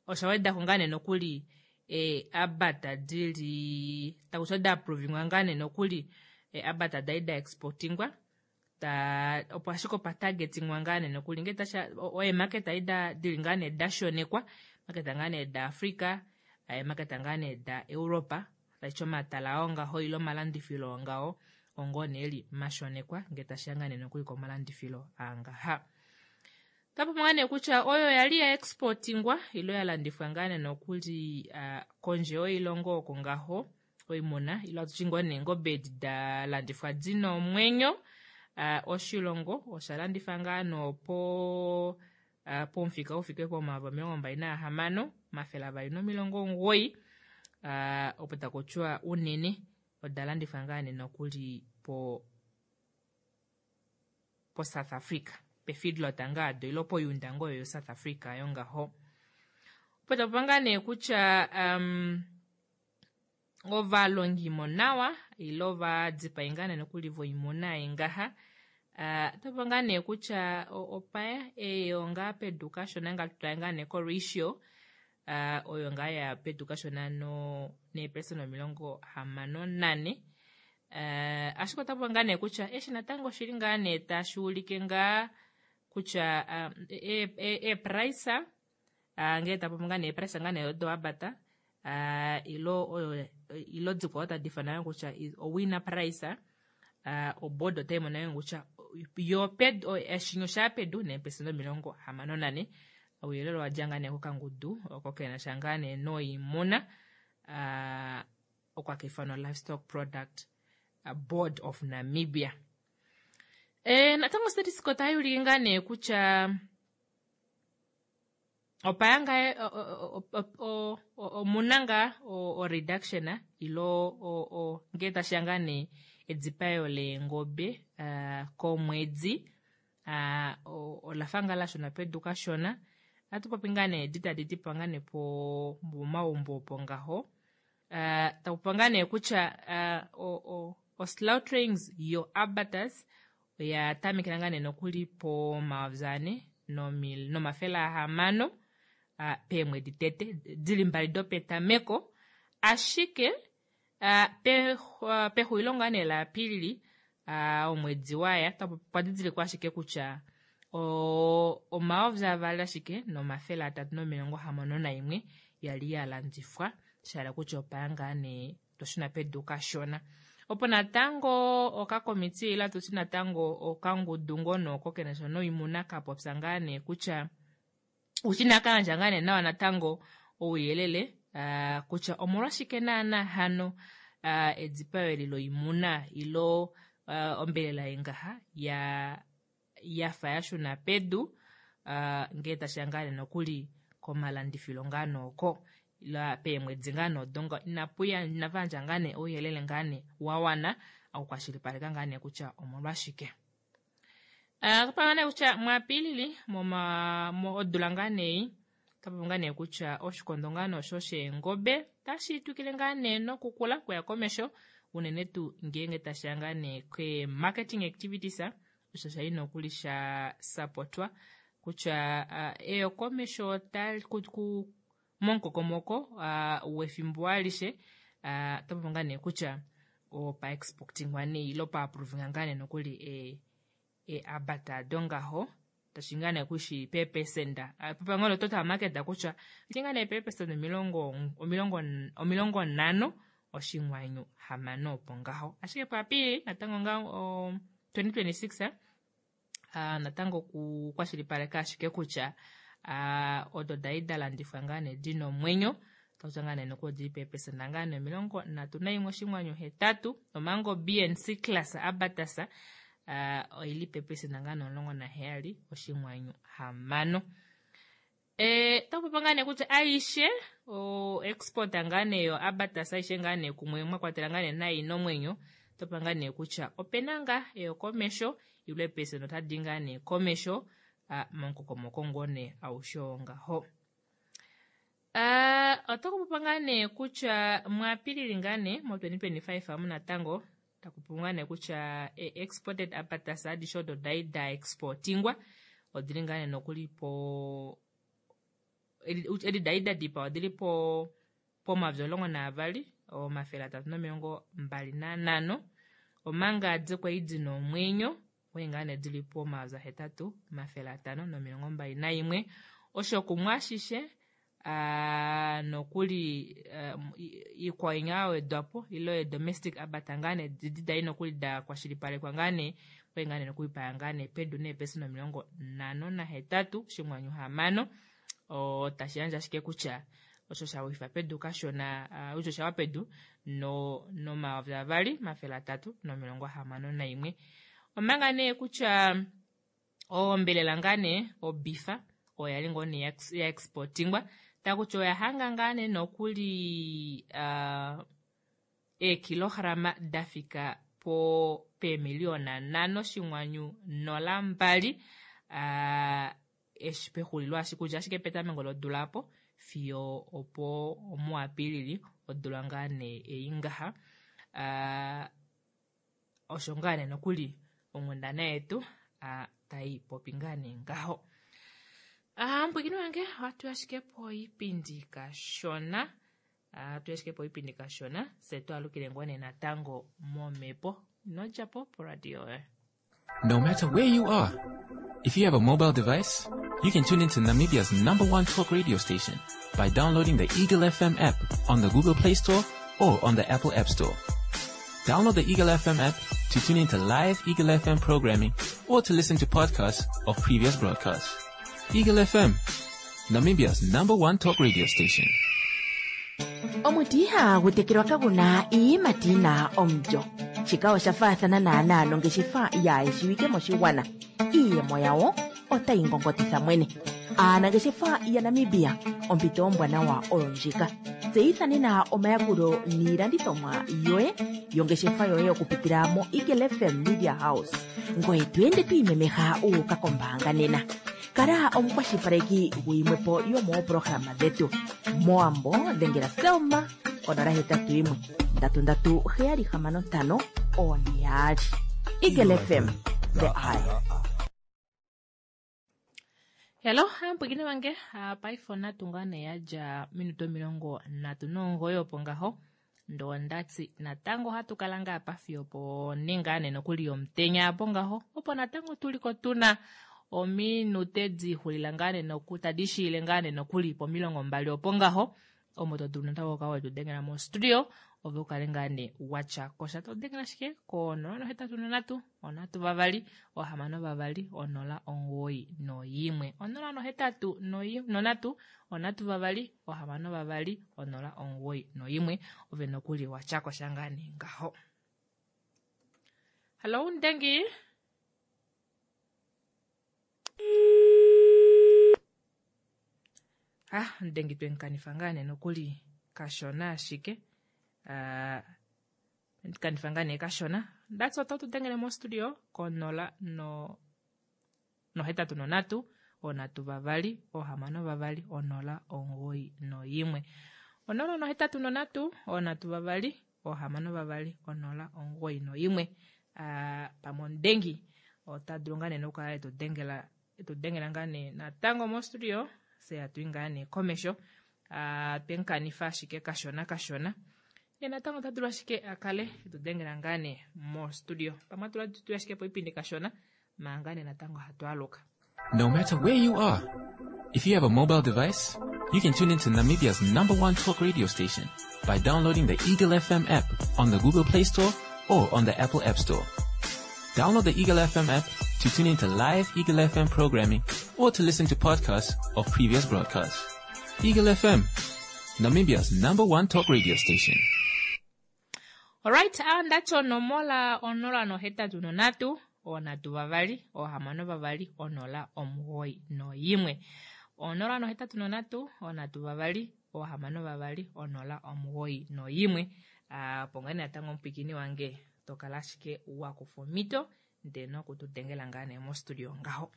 osha wedako ngaa nee nokuli e, abata dili takuti oda approvingwa ngaa nee nokuli e, abata dali da exportingwa ta opo ashike opa targetingwa ngaa nee nokuli ngee tasha eemarket ali da dili ngaa nee da shonekwa maketa ngaa nee da Africa eemaketa ngaa nee da Europa taiti omatala oo ngaho ile omalandifilo ngaho ongoo nee eli mashonekwa ngee tashiya ngaa nee nokuli komalandifilo aangaha. Tapopi ngaa nee kutya oyo yali ya exportingwa ilo ya landifwa ngaa nee nokuli uh, kondje yoilongo oko ngaho oimuna ilo atuti ngoo nee eengobe edi da landifwa dina omwenyo uh, oshilongo osha landifa ngaa noopo uh, pomufika ufike pomayovi omilongo mbali naahamano omafele avali nomilongo omugoyi uh, opo takutiwa unene oda landifwa ngaa nee nokuli po po South Africa pefeedlot ngaa do ilo poyunda ngoo yo South Africa yongaho. Opo tapopi ngaa nee kutya um, ovalongimo nawa ile ovadipai ngaa nee nokuli voimuna ei ngaha uh, tapopi ngaa nee kutya opaya eyo ngaa pedu kashona ngaa tutale ngaa nee ko ratio uh, oyo ngaa ya pedu kashona no neepersona omilongo hamano nane uh, ashike otapopi ngaa nee kutya eshi natango oshili ngaa nee tashi ulike ngaa kutya um, eeprice e, e uh, ngee tapopi ngaa nee eeprice ngaa nee odo abata uh, ilo oyo ilo dikwao tadi fana kutya owina price uh, oboard otai mono kutya yo pedu eshinyo sha pedu neepersona omilongo hamano nane ouyelele owadja ngaa nee kokangudu oko kenasha ngaa nee noimuna uh, okwa kaifanwa Livestock Product Board of Namibia. E, natango statistics otai ulike ngaa nee kutya opaya ngaa omuna ngaa o reduction ilo ngee tashiya ngaa nee edipayo leengobe uh, komwedi uh, olafa ngaa lashuna pedu kashona atupopi ngaa nee edi tadi dipawa ngaa nee po momaumbo opo ngaho uh, takupopi ngaa nee kutya uh, o, o, o slaughterings yo abattoirs oya tamekela ngaa nee nokuli pomayovi ane nomafele ahamano uh, peemwedi tete dili mbali dopetameko ashike uh, pe, uh, pexulilo ngaa nee la Apilili uh, omwedi waya okwa didilikwa ashike kutya omayovi avali ashike nomafele atatu nomilongo hamano naimwe yali ya landifwa shahala kutya opaya ngaa nee toshuna pedu kashona. Opo natango okakomiti ila tuti natango okangudu ngono oko kenasha noimuna kapopya ngaa nee kutya ushina kayandja ngaa nee nawa natango ouyelele uh, kutya omolwashike naana hano uh, edipayo eli loimuna ilo uh, ombelela yengaha ya yafa yashuna pedu uh, ngee tashiya ngaa nee nokuli komalandifilo ngaa nooko la peemwedi ngaa noodonga inapuya inavayandja ngaa nee ouyelele ngaa nee wawana okukwashilipaleka ngaa nee kutya omolwashike. Uh, kapanga nee kutya muApilili moma mo odula ngaa nee Otapopi ngaa nee kutya oshikondo ngaa nee osho sheengobe tashi twikile ngaa nee nokukula kuya komesho unene tuu ngeenge tashiya ngaa nee ke marketing activities osho shali nokuli sha sapotwa kutya uh, eyokomesho tali ku momukokomoko uh, wefimbo alishe uh, otapopi ngaa nee kutya opa exportingwa nee ilo pa approvinga ngaa nee nokuli e, e abata dongaho tashi ngaa nee kushi peepesenda papango total market kutya iti ngaa nee peepesenda omilongo omilongo omilongo nhano oshinwanyu hamano opo ngaho ashike puApilili natango nga o, twenty twenty-six uh, natango kukwashilipaleka ashike kutya uh, odo dai dalandifwa ngaa nee dina omwenyo takuti ngaa nee nokuli odili peepesenda ngaa nee omilongo nhatu naimwe oshinwanyu hetatu omango B and C class abatasa uh, oili peepesenda ngaa nee omulongo naheyali oshinwanyu hamano. E, takupopa ngaa nee kutya aishe o export ngaa nee yo abatasa aishe ngaa nee kumwe mwakwatela ngaa nee nayi nomwenyo topa ngaa nee kutya opena ngaa eyokomesho ilwe pesenda otadi ngaa nee komesho uh, momukokomoko ngoo nee aushe ngaho. Uh, otakupopa ngaa nee kutya muApilili ngaa nee mo twenty twenty-five amu natango takupopa ngaa nee kutya e, exported abatasa adishe odo dai da exportingwa odili ngaa nee nokuli po edi dai da dipa odili po pomayovi omulongo naavali omafele atatu nomilongo mbali nanhano omanga dikwali dina omwenyo okwali ngaa nee dili po omayovi ahetatu omafele atano nomilongo mbali naimwe osho kumwe ashishe Uh, nokuli uh, iikwawo ya wedwapo ilo domestic abata ngaa nee didi dai nokuli da kwashilipalekwa ngaa nee okwali ngaa nee nokuli paya ngaa nee pedu neepesenda omilongo nhano nahetatu oshinwanyu hamano o tashi yandje ashike kutya osho shawifa pedu kashona uh, osho shawa pedu no nomayovi avali omafele atatu nomilongo hamano naimwe omanga nee kutya ombelela ngaa nee obifa oya li ngoo nee ya exportingwa takuti oya hanga ngaa nee nokuli uh, eekilograma dafika po peemiliona nhano oshinwanyu nola mbali uh, eshi pexulilo ashike kutya ashike petameko lodula apo fiyo opo muApilili odula ngaa nee ei ngaha uh, osho ngaa nee nokuli onghundana yetu uh, tai popi ngaa nee ngaho. Ah, mpwikini wange watu ashike po ipindi kashona ah, tu ashike po ipindi kashona se twalukile ngone natango momepo nodjapo po radio eh. No matter where you are, if you have a mobile device, you can tune into Namibia's number one talk radio station by downloading the Eagle F M app on the Google Play Store or on the Apple App Store. Download the Eagle F M app to tune into live Eagle F M programming or to listen to podcasts of previous broadcasts. Eagle F M, Namibia's number one talk radio station. Omuti ihagu tekelwa kaguna iiyimati yina omulyo. Shika osha faathana naanaa nongeshefa yaayeshiwike moshigwana. Iiyemo yawo otayi ngongotitha mwene. Aanangeshefa yaNamibia, ompito ombwanawa oyo ndjika. Tseyitha nena omayakulo niilandithomwa yoye yongeshefa yoye okupitila mo Eagle F M Media House. Ngoye tu ende twiimemeha uuka kombaanga nena. Kala omukwashilipaleki guyimwepo yomooprograma dhetu. Moambo dhengela Selma onola hetatu yimwe ndatu ndatu heyali hamano ntano one yaali. Eagle F M, the eye. Hello, mpwikini wange paife natu ngaa nee yadja minuto omilongo nhatu nomugoyi opo ngaho ndo ndati natango hatu kala ngaa pa fiyo po ninga nee nokuli yomutenya apo ngaho opo natango tuliko tuna ominute dixulila ngaa nee noku tadi shiile ngaa nee nokuli pomilongo mbali opo ngaho omo to dulu natango okukala wetu dengela mo studio ove ukale ngaa nee watya kosha to dengela ashike ko nola nohetatu nonhatu onhatu vavali ohamano vavali onola omugoyi noyimwe onola nohetatu nonhatu onhatu vavali ohamano vavali onola omugoyi noyimwe ove nokuli watya kosha ngaa nee ngaho. Hello Ndengi. Ah, Ndengi twenkanifa ngaa nee nokuli kashona ashike. Uh, kanifa ngaa nee kashona. That's what to dengele mo studio ko nola no no hetatu nonhatu onhatu vavali ohamano vavali onola omugoyi noimwe onola nohetatu nonhatu onhatu vavali ohamano vavali onola omugoyi noimwe uh, pamwe omudengi ota dulu ngaa nee nokukala etudengela etudengela ngaa nee natango mostudio fye hatu i ngaa nee komesho uh, twemukanifa ashike kashona kashona ye natango ota dulu ashike a kale etudengela ngaa nee mostudio pamwe atula tuye ashike poipindi kashona manga nee natango hatu aluka. No matter where you are, if you have a mobile device, you can tune into Namibia's number one talk radio station by downloading the Eagle F M app on the Google Play Store or on the Apple App Store. Download the Eagle F M app to tune into live Eagle F M programming or to listen to podcasts of previous broadcasts. Eagle F M, Namibia's number one talk radio station. Alright, ndacho onomola onola nohetatu nonhatu onhatu vavali ohamano vavali onola omugoyi noyimwe onola nohetatu nonhatu onhatu vavali ohamano vavali onola omugoyi noyimwe. Opo ngaa nee natango omupwikini wange tokala ashike wakufa omhito ndee nokutudengela ngaa nee mostudio ngaho.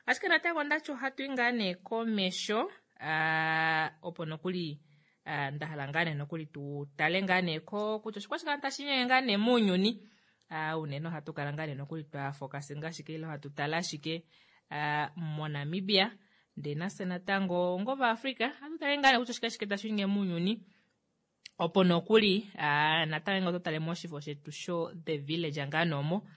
Ashike natango ndacho ohatu i ngaa nee komesho opo nokuli ndahala ngaa nee nokuli tu tale ngaa nee ko kutya oshikwashike tashi nyenge ngaa nee mounyuni. Unene ohatu kala ngaa nee nokuli twa focusinga ashike ile hatu tala ashike moNamibia ndee nafye natango ngova Africa hatu tale ngaa nee kutya oshike tashi nyenge mounyuni. Opo nokuli natango oto tale moshifo shetu sho The Village ngaa noomo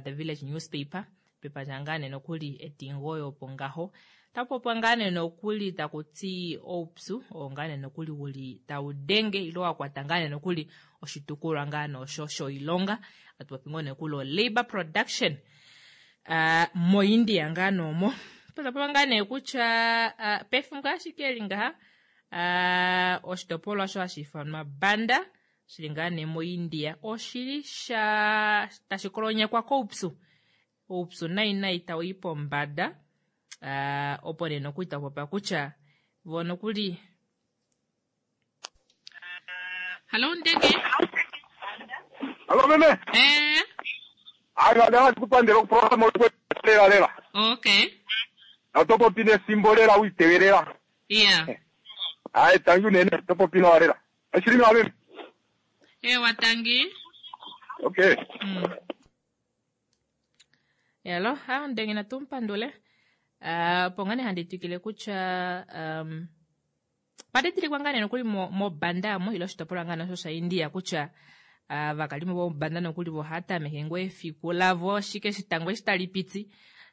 The Village newspaper pepandja ngaa nee nokuli etingoyo opo ngaho tapopwa ngaa nee nokuli takuti oupyu oo ngaa nee nokuli uli taudenge ile wakwata ngaa nee nokuli oshitukulwa ngaa nee osho shoilonga atupopi ngoo nee nokuli o labor production uh, moIndia ngaa noomo tapopwa ngaa nee kutya uh, pefimbo ashike eli ngaha uh, oshitopolwa osho hashi ifanwa Banda shili ngaa nee moIndia oshili sha tashi kolonyekwa koupyu oupyu nai nai tau i pombada. Uh, opo nee nokuli tapopa kutya vo nokuli. Hallo Ndenge. Hallo meme. Eh. Ayo ada kupandela kuprograma lela lela. Okay. Atopo pine simbolela uitewelela. Yeah. Ai tangu nene topo pina walela. Ashirimi wa meme. Eh watangi. Okay. Mm. Hello, ha Ndenge na tumpandule. Uh, pongane handi twikile kutya um, padedilikwa ngaa nee nokuli mobanda mo ile oshitopolwa ngaa osho sha India kutya uh, vakalimo vomobanda nokuli vohatameke ngoo efiku lavo shike shitango eshi tali piti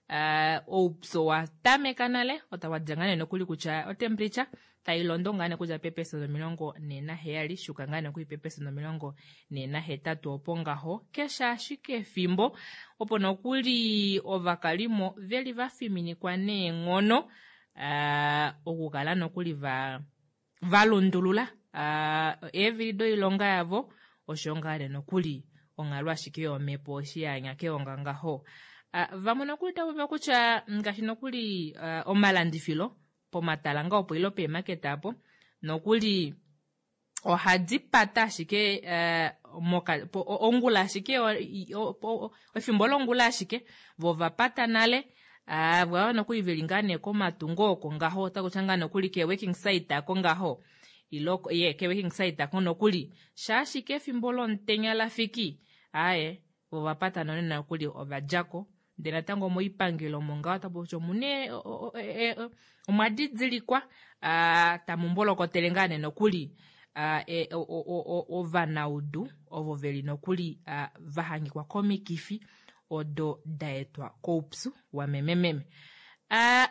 uh, oupyu watameka nale otawadja ngaa nee nokuli kutya otemperature tailondo ngaa nee kudja peepesenda omilongo nhee naheyali shuka ngaa nee nokuli peepesenda omilongo nhee nahetatu opo ngaho keshe ashike efimbo opo nokuli ovakalimo veli vafiminikwa neenghono uh, okukala nokuli va valundulula uh, eevili doilonga yavo osho ngaa nee nokuli onghalo ashike yomhepo eshi yanya keonga ngaho. Uh, vamwe nokuli tava kutya ngaashi nokuli uh, omalandifilo pomatala nga opo ilo peemaketa apo nokuli ohadi pata ashike uh, moka, po, ongula ashike efimbo longula ashike vo vapata nale uh, vava nokuli veli ngaa nee komatungo oko ngaho otakutya ngaa nokuli ke working site ako ngaho ilo ye ke working site ako nokuli shaashike efimbo lomutenya lafiki aye vo vapata nonena nokuli ovadjako. Ndee natango moipangelo omo ngaho otapu kutya omune omwa didilikwa tamu mbolokotele ngaa nee nokuli ovanaudu ovo veli nokuli vahangikwa komikifi odo daetwa koupyu wamemememe.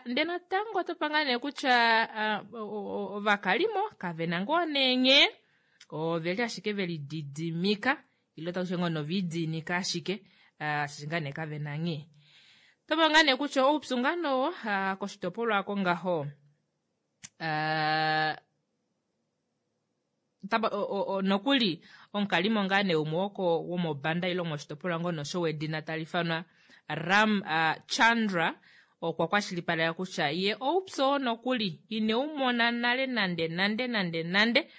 Ndee natango otopa ngaa nee kutya ovakalimo kavena ngoo nee nghee oveli ashike veli didimika ile otakutya ngoo novidiinika ashike shaashi ngaa nee kavena nghee. Topa ngaa nee kutya oupyu ngaa nowo koshitopolwa ako ngaho nokuli omukalimo ngaa nee umwe woko womobanda ile moshitopolwa ngoo nosho wedina tali ifanwa Ram Chandra okwa kwashilipaleka kutya ye oupyu oo nokuli ineumona nale nande nande nande nande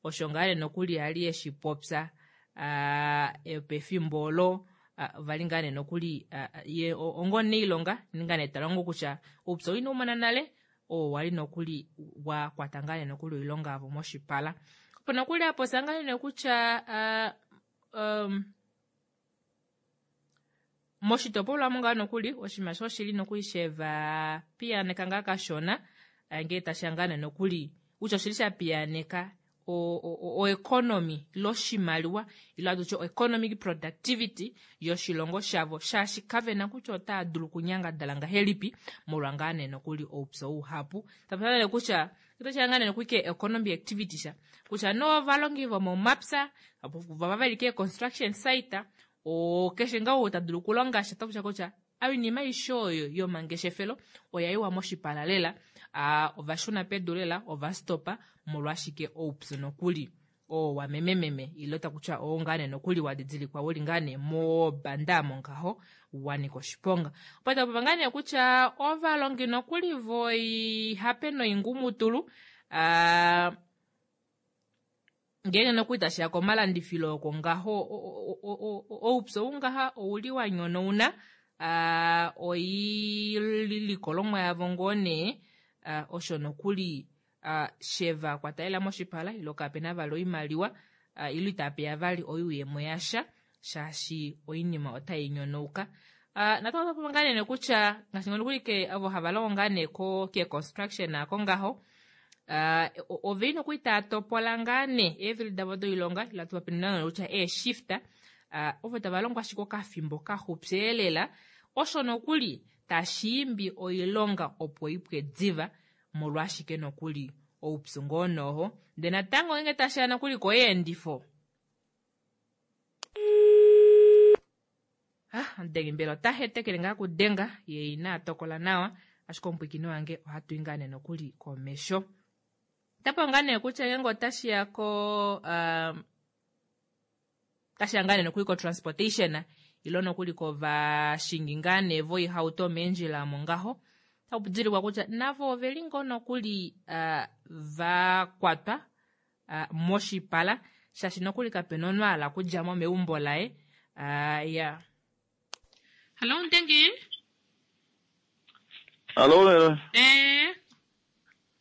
osho ngaa nee nokuli ali eshi popya pefimbo olo uh, vali ngaa nee nokuli uh, ye onga omunailonga ninga nee talongo kutya oupyu ina umona nale oo wali nokuli wa kwata ngaa nee nokuli oilonga yavo moshipala. Opo nokuli apopya ngaa nee kutya uh, um, moshitopolwa mo ngaa nokuli oshinima sho oshili nokuli sheva piyaaneka ngaa kashona ngee tashiya ngaa nee nokuli kutya oshili sha piyaaneka oeconomy ile oshimaliwa ile hatutye economic productivity yoshilongo shavo shaashi kavena kutya otaya dulu okunyangadala ngahelipi molwa ngaa nee nokuli oupyu uhapu. Tapupya kutya otashiya ngaa nee nokuli ke economy activity sha kutya novalongi vomomapya vava veli ke construction site o keshe ngaa ou ta dulu okulonga sha otakutya kutya oinima aishe oyo yomangeshefelo oya yiwa moshipala lela ovashuna pedu lela ovastopa molwashike oupyu nokuli oo wamemememe ile takutya oo ngaa nee nokuli wadidilikwa uli ngaa nee mobanda omo ngaho wanika oshiponga. Opo tapopa ngaa nee kutya ovalongi nokuli voihape noingumutulu uh, ngeenge nokuli tashiya komalandifilo oko ngaho oupyu ou ngaha ouli wa nyonauna uh, oilikolomwa yavo ngoo nee uh, osho nokuli uh, sheva kwatalela moshipala ilo kapena vali oimaliwa uh, ilo itapeya vali oyuuyemo yasha shaashi oinima otai nyonauka. Uh, natango otapopa ngaa nee kutya ngaashi nokuli ke ovo hava longo ngaa nee ko ke construction ako ngaho Uh, oveli nokuli taya topola ngaa nee eevili davo doilonga ila tupapinina kutya eeshifta uh, ovo tava longo ashike okafimbo kaxupyeelela osho nokuli tashiimbi oilonga opo ipwe diva molwashike nokuli oupyu ngoo noho ndee natango ngeenge tashiya nokuli koyeendifo ah, omudengi mbela ota hetekele ngaa kudenga ye ina tokola nawa ashike omupwiikini wange ohatu i ngaa nee nokuli komesho. Tapo ngaa nee kutya ngeenge otashiya ko um, tashiya ngaa nee nokuli ko transportation ilo nokuli kovashingi ngaa nee voihauto meendjila omo ngaho taku didilikwa kutya navo oveli ngoo nokuli uh, vakwatwa uh, moshipala shaashi nokuli kapena omunhu a hala okudjamo meumbo laye uh, ya. Hallo Ndengi. Hallo. Eh.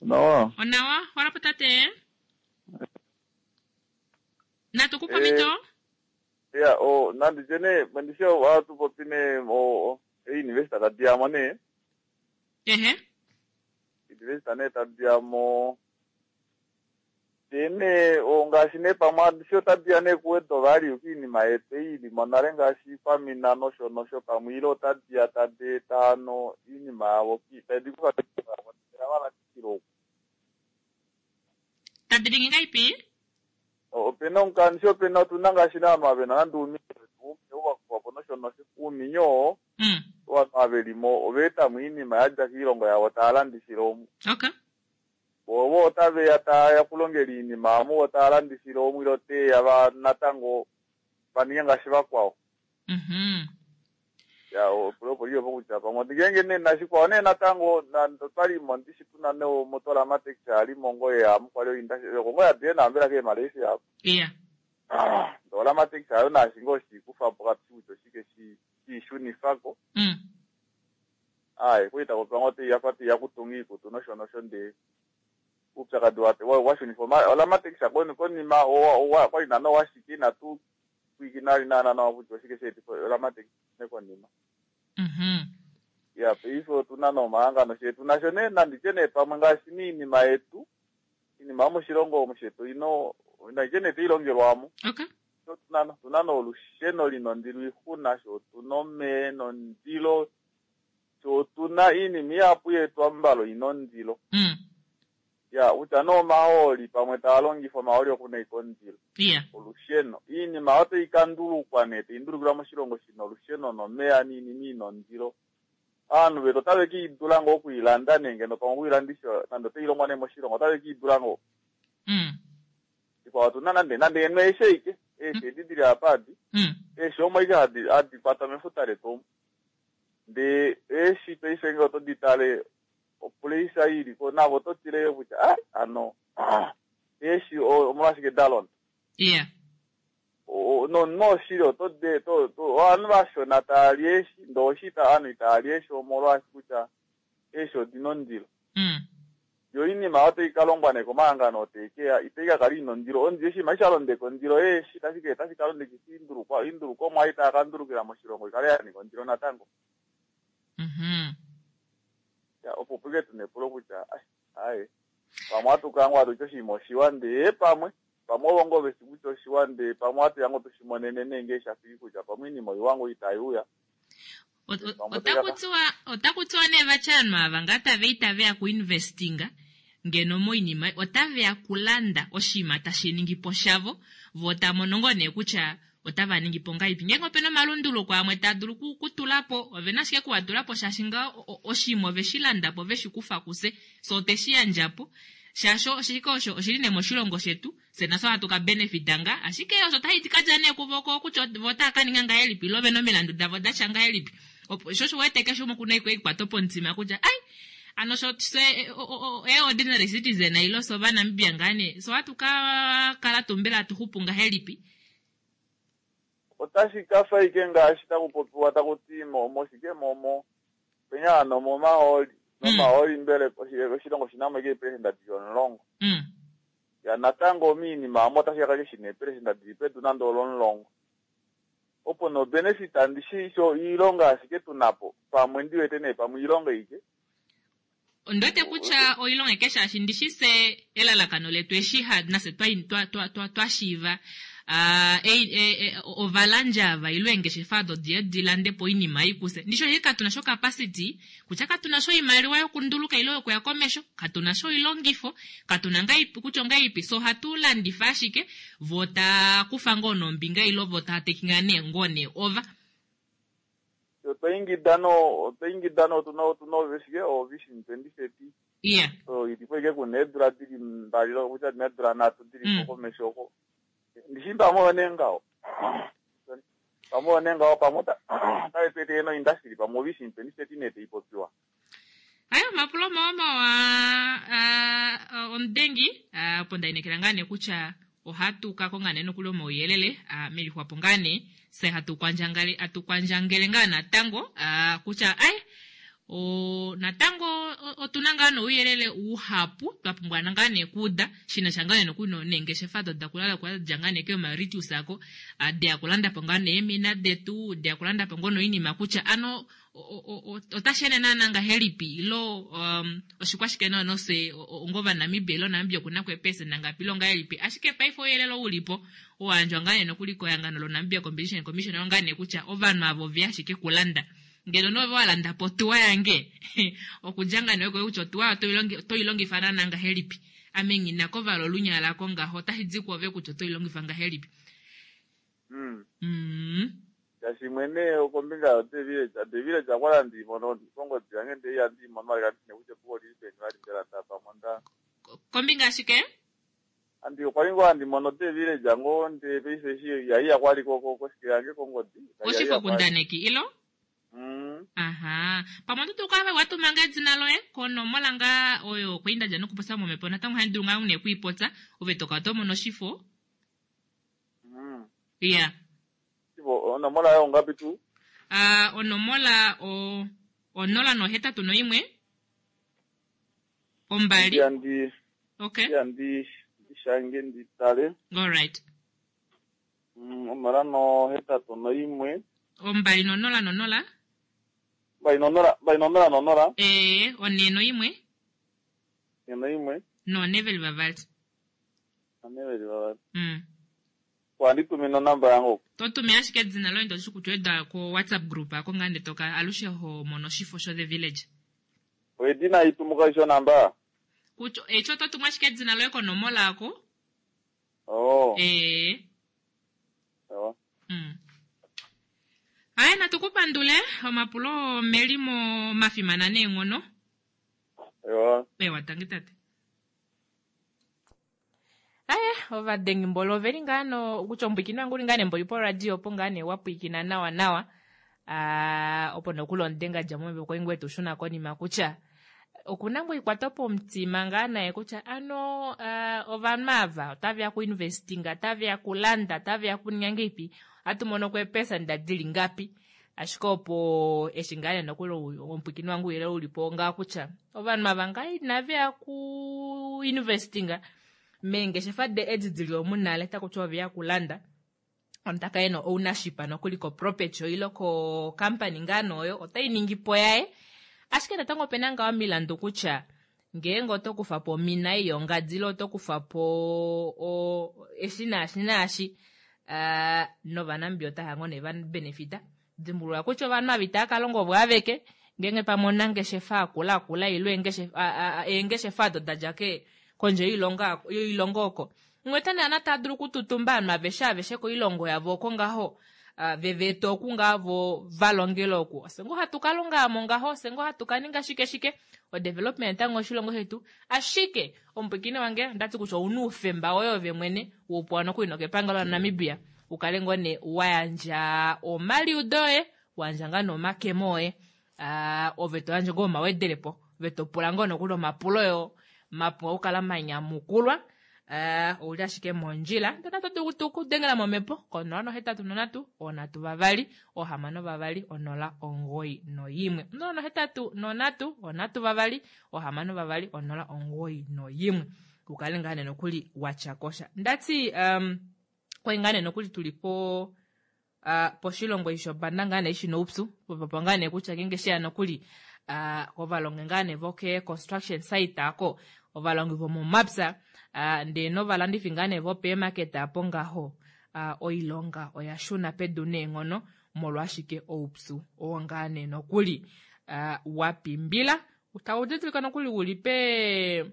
Onawa. Onawa, wala tate. Natukupa mito? Ya, o nandi jene mandisha watu popine o e university tadiamo ne. Ehe. University ne tadiamo tene o ngaashi ne pamwe andisho tadiya ne kuwedo vali okiinima yetu ili monale ngaashi pamina nosho nosho pamwe ile otadiya tadi eta ano iinima yavo tadi kufa valandithilo. Tadi ningi ngaipi? Opena omukandisho opena otuna ngaashi naanhu avena nande uuminyo wakufapo nosho nosho uuminyo oo ovanhu avelimo ovaetamo iinima yadja kiilongo yavo tava landithile omu. Okay. Ovo otaveya taya kulongela iinima amu otava landithile omu ile oteya va natango vaninge ngaashi vakwao. Mhm. Ya opo liyopo kutya pamwe ngeenge nee nashikwao nee natango otwalimo ndishi tuna neomotola amatekisi alimo ngoye amu kwali oinda kongo yadiye naambela ke Malaysia apo. Iya. Ndola amatekisi ayo nashinga oshikufapo katushi kutya oshike shiishunifako. Mm. Ayi kuita kupanga oteya fa teya kutunga iikutu nosho nosho ndee upyakadi washunifa ola amatekisi ako konima kwali nana washike inatu pwiikina naana nawa kutya oshike sheetifa ola amatekisi nekonima. Mhm. Ya paife otuna nomahangano shetu nasho nee nanditye nee pamwe ngaashi miinima yetu iinima yomoshilongo omu shetu ino nanditye nee tailongelwamo. Okay. Tuna tuna nolusheno lina ondilo oixuna sho otuna omeya ena ondilo sho otuna iinima ihapu yetu ambala ina ondilo. Mm. Ya kutya nee omahooli pamwe taa longifa omahooli okuna ike ondilo. Iya. Olusheno iinima otayi kandulukwa nee tayi ndulukilwa moshilongo shina olusheno nomeya niinima ina ondilo. Aanhu vetu otave kiidula ngoo okuilanda nee ngeno pamwe okuilandisha nande otailongwa nee moshilongo otave kiidula ngoo. Mm. Ikwao otuna nande nande eno eeshi aike eeshi edi dili apa adi eeshi omo aike hadi hadi kwatwa mefuta letu omu ndee eeshi paife ngee otodi tale opuleisa iliko navo oto tile kutya ah ano eeshi omolwashike dalonda. Iya. Nonoshili oto de to ovanhu vashona tava li eeshi, ndee oshi ovanhu itava li eeshi omolwaashi kutya eeshi odina ondilo. Yo oinima otai ka longwa nee komahangano oo taikeya itai ka kala ina ondilo. Ondilo oshinima eshi sha londeka ondilo yeeshi otashi ka londekisa oindulukomwa ei tava ka ndulukila moshilongo ikale ya ninga ondilo natango. Opo puke tuna epulo kutya aye pamwe ohatu kala ngoo hatu ti oshinima oshiwa ndee pamwe pamwe ovo ngoo veshi kutya oshiwa ndee pamwe ohatu ya ngoo tushimonene nee ngee shafiki kutya pamwe oinima oiwa ngoo itaiuya. Otaku tiwa nee vati ovanhu ava ngaa tava itave ya kuinvestinga ngeno moinima otave ya kulanda oshinima tashi ningi po shavo vo tamono ngoo nee kutya otava ningi po ngahelipi. Ngeenge opena omalunduluko amwe taa dulu kutula po ovena ashike kuwatula po shaashi ngaho oshinima oveshi landa po veshi kufa kufye so otweshi yandja po shaashi oshike osho oshili nee moshilongo shetu fye nafye ohatu ka benefita nga ashike osho otashi kadja nee kuvo kutya vo otava ka ninga ngahelipi ile ovena omilandu davo datya ngahelipi. Opo sho osho wete keshe umwe okuna ekwato pomutima kutya ai ano sho fye ordinary citizen ile fye ovanamibia ngaa nee so ohatu ka kala tuu mbela hatu xupu ngahelipi. Otashi kafa ike ngaashi taku popiwa taku ti moshike momo penya hano momahooli nomahooli mbele oshilongo oshinamo ike eepelesenda dili omulongo. Ya natango miinima amo otashi kakala shina eepelesenda dili pedu nande olomulongo. Opo no benefit ndishi sho iilonga ashike tunapo pamwe ndiwete nee pamwe iilonga ike. Ondiwete kutya oilonga ike shaashi ndishi se elalakano letu eshi nafye twashiiva ovalandja ava ile eengeshefa odo diye dilande po oinima ei kufye. Ndishi oshi katuna sho capacity kutya katuna sho oimaliwa yokunduluka ile yokuya komesho, katuna sho oilongifo, katuna ngaipi kutya ongaipi so ohatu landifa ashike vo taa kufa ngoo nombinga ile vo taa takinga nee ngoo nee ova. Otwa ingida no otwa ingida no otuna otuna oveshike o vision twenty thirty. Yeah. So ilipo ike kuna eedula dili mbali kutya dina eedula nhatu dili po komesho oko. Ndishi pamwe one ngaho. Pamwe one ngaho pamwe otave tu etele no industry pamwe vision twenty thirty nee taipopiwa. Ayo omapulo mawa mawa omudengi opo ndainekela ngaa nee kutya ohatu ka konga nee nokuli omauyelele melixwapo ngaa nee fye hatu kwandjangale hatu kwandjangele ngaa natango kutya ai o natango otuna ngaa nouyelele uhapu twa pumbwa ngaa nee kuuda shina sha ngaa nee nokuli neengeshefa odo dakulala kwadja ngaa nee keeMauritius ako deya kulanda po ngaa nee eemina detu deya kulanda po ngoo noinima kutya ano otashi ende naana ngahelipi ile oshikwashike naana fye onga ovanamibia ile Namibia okuna ko eepelesenda ngapi ile ongahelipi. Ashike paife ouyelele oo ulipo owayandjwa ngaa nee nokuli kehangano loNamibia Competition Commission oo ngaa nee kutya ovanhu ava oveya ashike kulanda. Ngeno nee ove walanda po otuwa yange okudja ngaa nee kutya otuwa otoilongifa naana ngahelipi. Ame nghina kovala olunyala lako ngaho otashi di kwoove kutya otoilongifa ngahelipi. Shaashi mwene kombinga yo The Village, The Village okwali handi mono kongodi yange ndee ihandi mono vali kandi kutya epuko olili peni vali mbela ndapamwe nda. Kombinga yashike? Andi okwali ngoo handi mono The Village ngoo ndee paife eshi ihaiya kwali koshike yange kongodi. Oshifokundaneki ilo? Aha. Pamwe oto dulu okukala watuma ngaa edina loye konomola ngaa oyo kwali ndadja nokupopya momhepo natango ohandi dulu ngaa nee okuipopya ove tokala tomono oshifo. Iya. Onomola yoye ongapi tuu? Onomola o onola nohetatu noimwe ombali. Ndi Okay. ndi ndishange nditale. Alright. Onola nohetatu noimwe. Ombali nonola nonola. Mbali nonola mbali nonola nonola. Ee, one noimwe. One noimwe. None veli vavali. None veli vavali. Mm. Ohandi tumine onamba yange oko. Totume ashike edina loye ndoshi kutya oeda ko WhatsApp group ako ngaa ndee toka alushe ho mono oshifo sho The Village. Edina itumuka isho onamba? Kutya echo oto tumu ashike edina loye konomola ako. Oh. Ee. Sawa. Mm. Aye natukupandule omapulo melimo mafimana neenghono. Ewa. Ewa tangi tate. Aye ovadengimbolo oveli ngaa no kutya omupwiikini wange uli ngaa nee mboli poradio opo ngaa nee wapwiikina nawa nawa. Opo nokuli omudenga dja momhepo kwali ngoo etushuna konima kutya Okuna ngoo ikwato pomutima ngaa naye kutya ano uh, ovanhu ava otaveya kuinvestinga, otaveya kulanda, otaveya kuninga ngeipi, ohatu mono ko eepesenda dili ngapi. Ashike opo eshi ngaa nee nokuli omupwikini wange ouyelele ulipo ngaa kutya ovanhu ava ngaa inaveya kuinvestinga meengeshefa de edi dili omu nale, takutiwa oveya kulanda. Omuntu taka ena ownership nokuli ko property ile ko company ngaa nooyo otai ningi po yaye. Ashike natango opena ngaa omilandu kutya ngeenge oto kufa po omina ei yongadi ile oto kufa po o, eshi naashi naashi, uh, novanambia otava ngoo nee va benefita. Dimbulula kutya ovanhu ava itava ka longa ovo aveke, ngeenge pamwe onangeshefa akula akula ile eengeshefa odo dadja ke kondje yoilonga yoilongo oko. Umwe tana taa dulu okututumba ovanhu aveshe aveshe koilongo yavo oko ngaho, uh, veveta oku ngaa vo valongele oku. Ofye ngoo hatu ka longa mo ngaho, ofye ngoo hatu ka ninga shike shike, o development tango oshilongo shetu. Ashike omupwikini wange ondati kutya ouna oufemba woye ove mwene woupewa nokuli nokepangelo laNamibia, ukale ngoo nee wayandja omaliudo oye, wayandja ngaa nomakemo oye, uh, ove to yandje ngoo omawedelepo, ove to pula ngoo nokuli omapulo yo mapuwa okukala manyamukulwa. Uh, ouli ashike mondjila ndona to dulu okudengela momhepo konola nohetatu nonhatu onhatu vavali ohamano vavali onola omugoyi noyimwe, onola nohetatu nonhatu onhatu vavali ohamano vavali onola omugoyi noyimwe, ukale ngaa nee nokuli watya kosha. Ndati um, kwai ngaa nee nokuli tuli po uh, poshilongo eshi shopanda ngaa nee shina oupyu popopo ngaa nee kutya ngeenge sheya nokuli uh, ovalongi ngaa nee voke construction site ako, ovalongi vomomapya, uh, ndee novalandifi ngaa nee vopeemarket apo ngaho, uh, oilonga oya shuna pedu neenghono molwashike oupyu oo ngaa nee nokuli uh, wa pimbila, tau didilika nokuli uli pe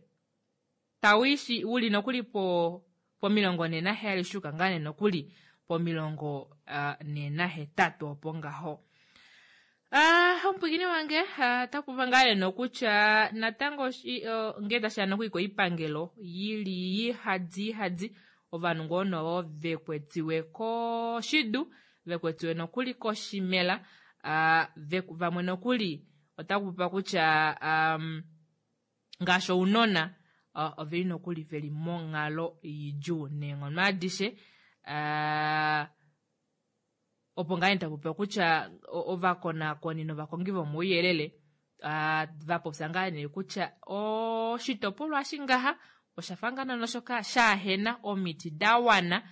tawiishi uli nokuli po pomilongo nhee naheyali shuka ngaa nee nokuli pomilongo uh, nhee nahetatu opo ngaho. Ah, omupwikini wange otakuva ngaa nee nokutya natango uh, ngee tashiya nokuli koipangelo yili yihadi yihadi, ovanhu ngoo noo vekwetiwe koshidu, vekwetiwe nokuli koshimela, uh, vamwe nokuli otakupopiwa kutya um, ngaashi ounona uh, oveli nokuli veli monghalo idjuu neenghono adishe. Uh, opo ngaa nee tapopiwa kutya ovakonakoni novakongi vomauyelele uh, vapopya ngaa nee kutya oshitopolwa eshi ngaha oshafa ngaa naana shoka shaahena omiti da wana,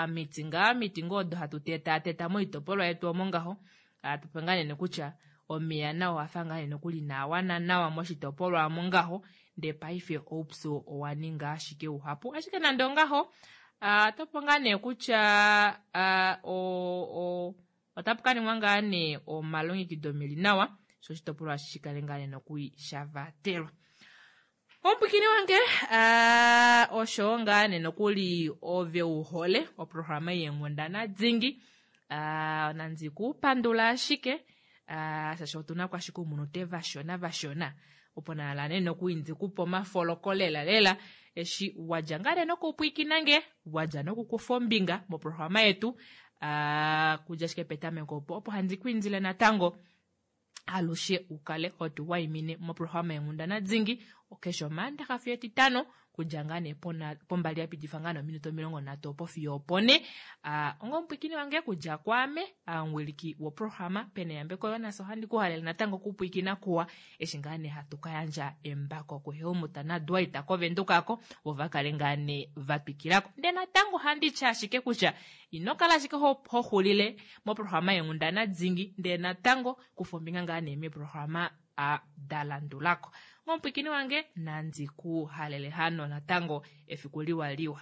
omiti ngaa omiti ngoo odo hatu tetaateta moitopolwa yetu omo ngaho, tupwe ngaa nee kutya omeya nao oafa ngaa nee nokuli inaa wana nawa moshitopolwa omo ngaho, ndee paife oupyu owa ninga ashike uhapu. Ashike nande ongaho, otapu ngaa nee kutya otapu ka ningwa ngaa nee omalongekido meli nawa sho oshitopolwa eshi shikale ngaa nee nokuli sha vatelwa. Omupwikini wange uh, osho ngaa nee nokuli ove uhole oprograma yeenghundana dingi, uh, nandi kupandula ashike uh, shaashi otuna ko ashike oumunute vashona vashona opo nala nee nokuli ndikupe omafoloko lela lela eshi wadja ngaa nee nokupwikina nge, wadja nokukufa ombinga moprograma yetu, uh, kudja ashike petameko opo opo handi ku indile natango alushe ukale hotu waimine moprograma yenghundana dingi keshe omaandaxa fiyo etitano kudja ngaa nee pombali yapitifa ngaa nee ominute omilongo nhatu opo fiyo opone. Uh, onga omupwikini wange kudja kwaame omuwiliki woprograma Peneyambeko Jonas, ohandi kuhalele natango okupwikina kuwa eshi ngaa nee hatu ka yandja embako kuHelmut naDwight koVendukako vo vakale ngaa nee vatwikilako. Ndee natango ohandi tya ashike kutya ino kala ashike hoxulile moprograma yenghundana dingi, ndee natango kufa ombinga ngaa nee meprograma da landulako. Omupwikini wange nandi ku halele hano natango efiku liwa liwa.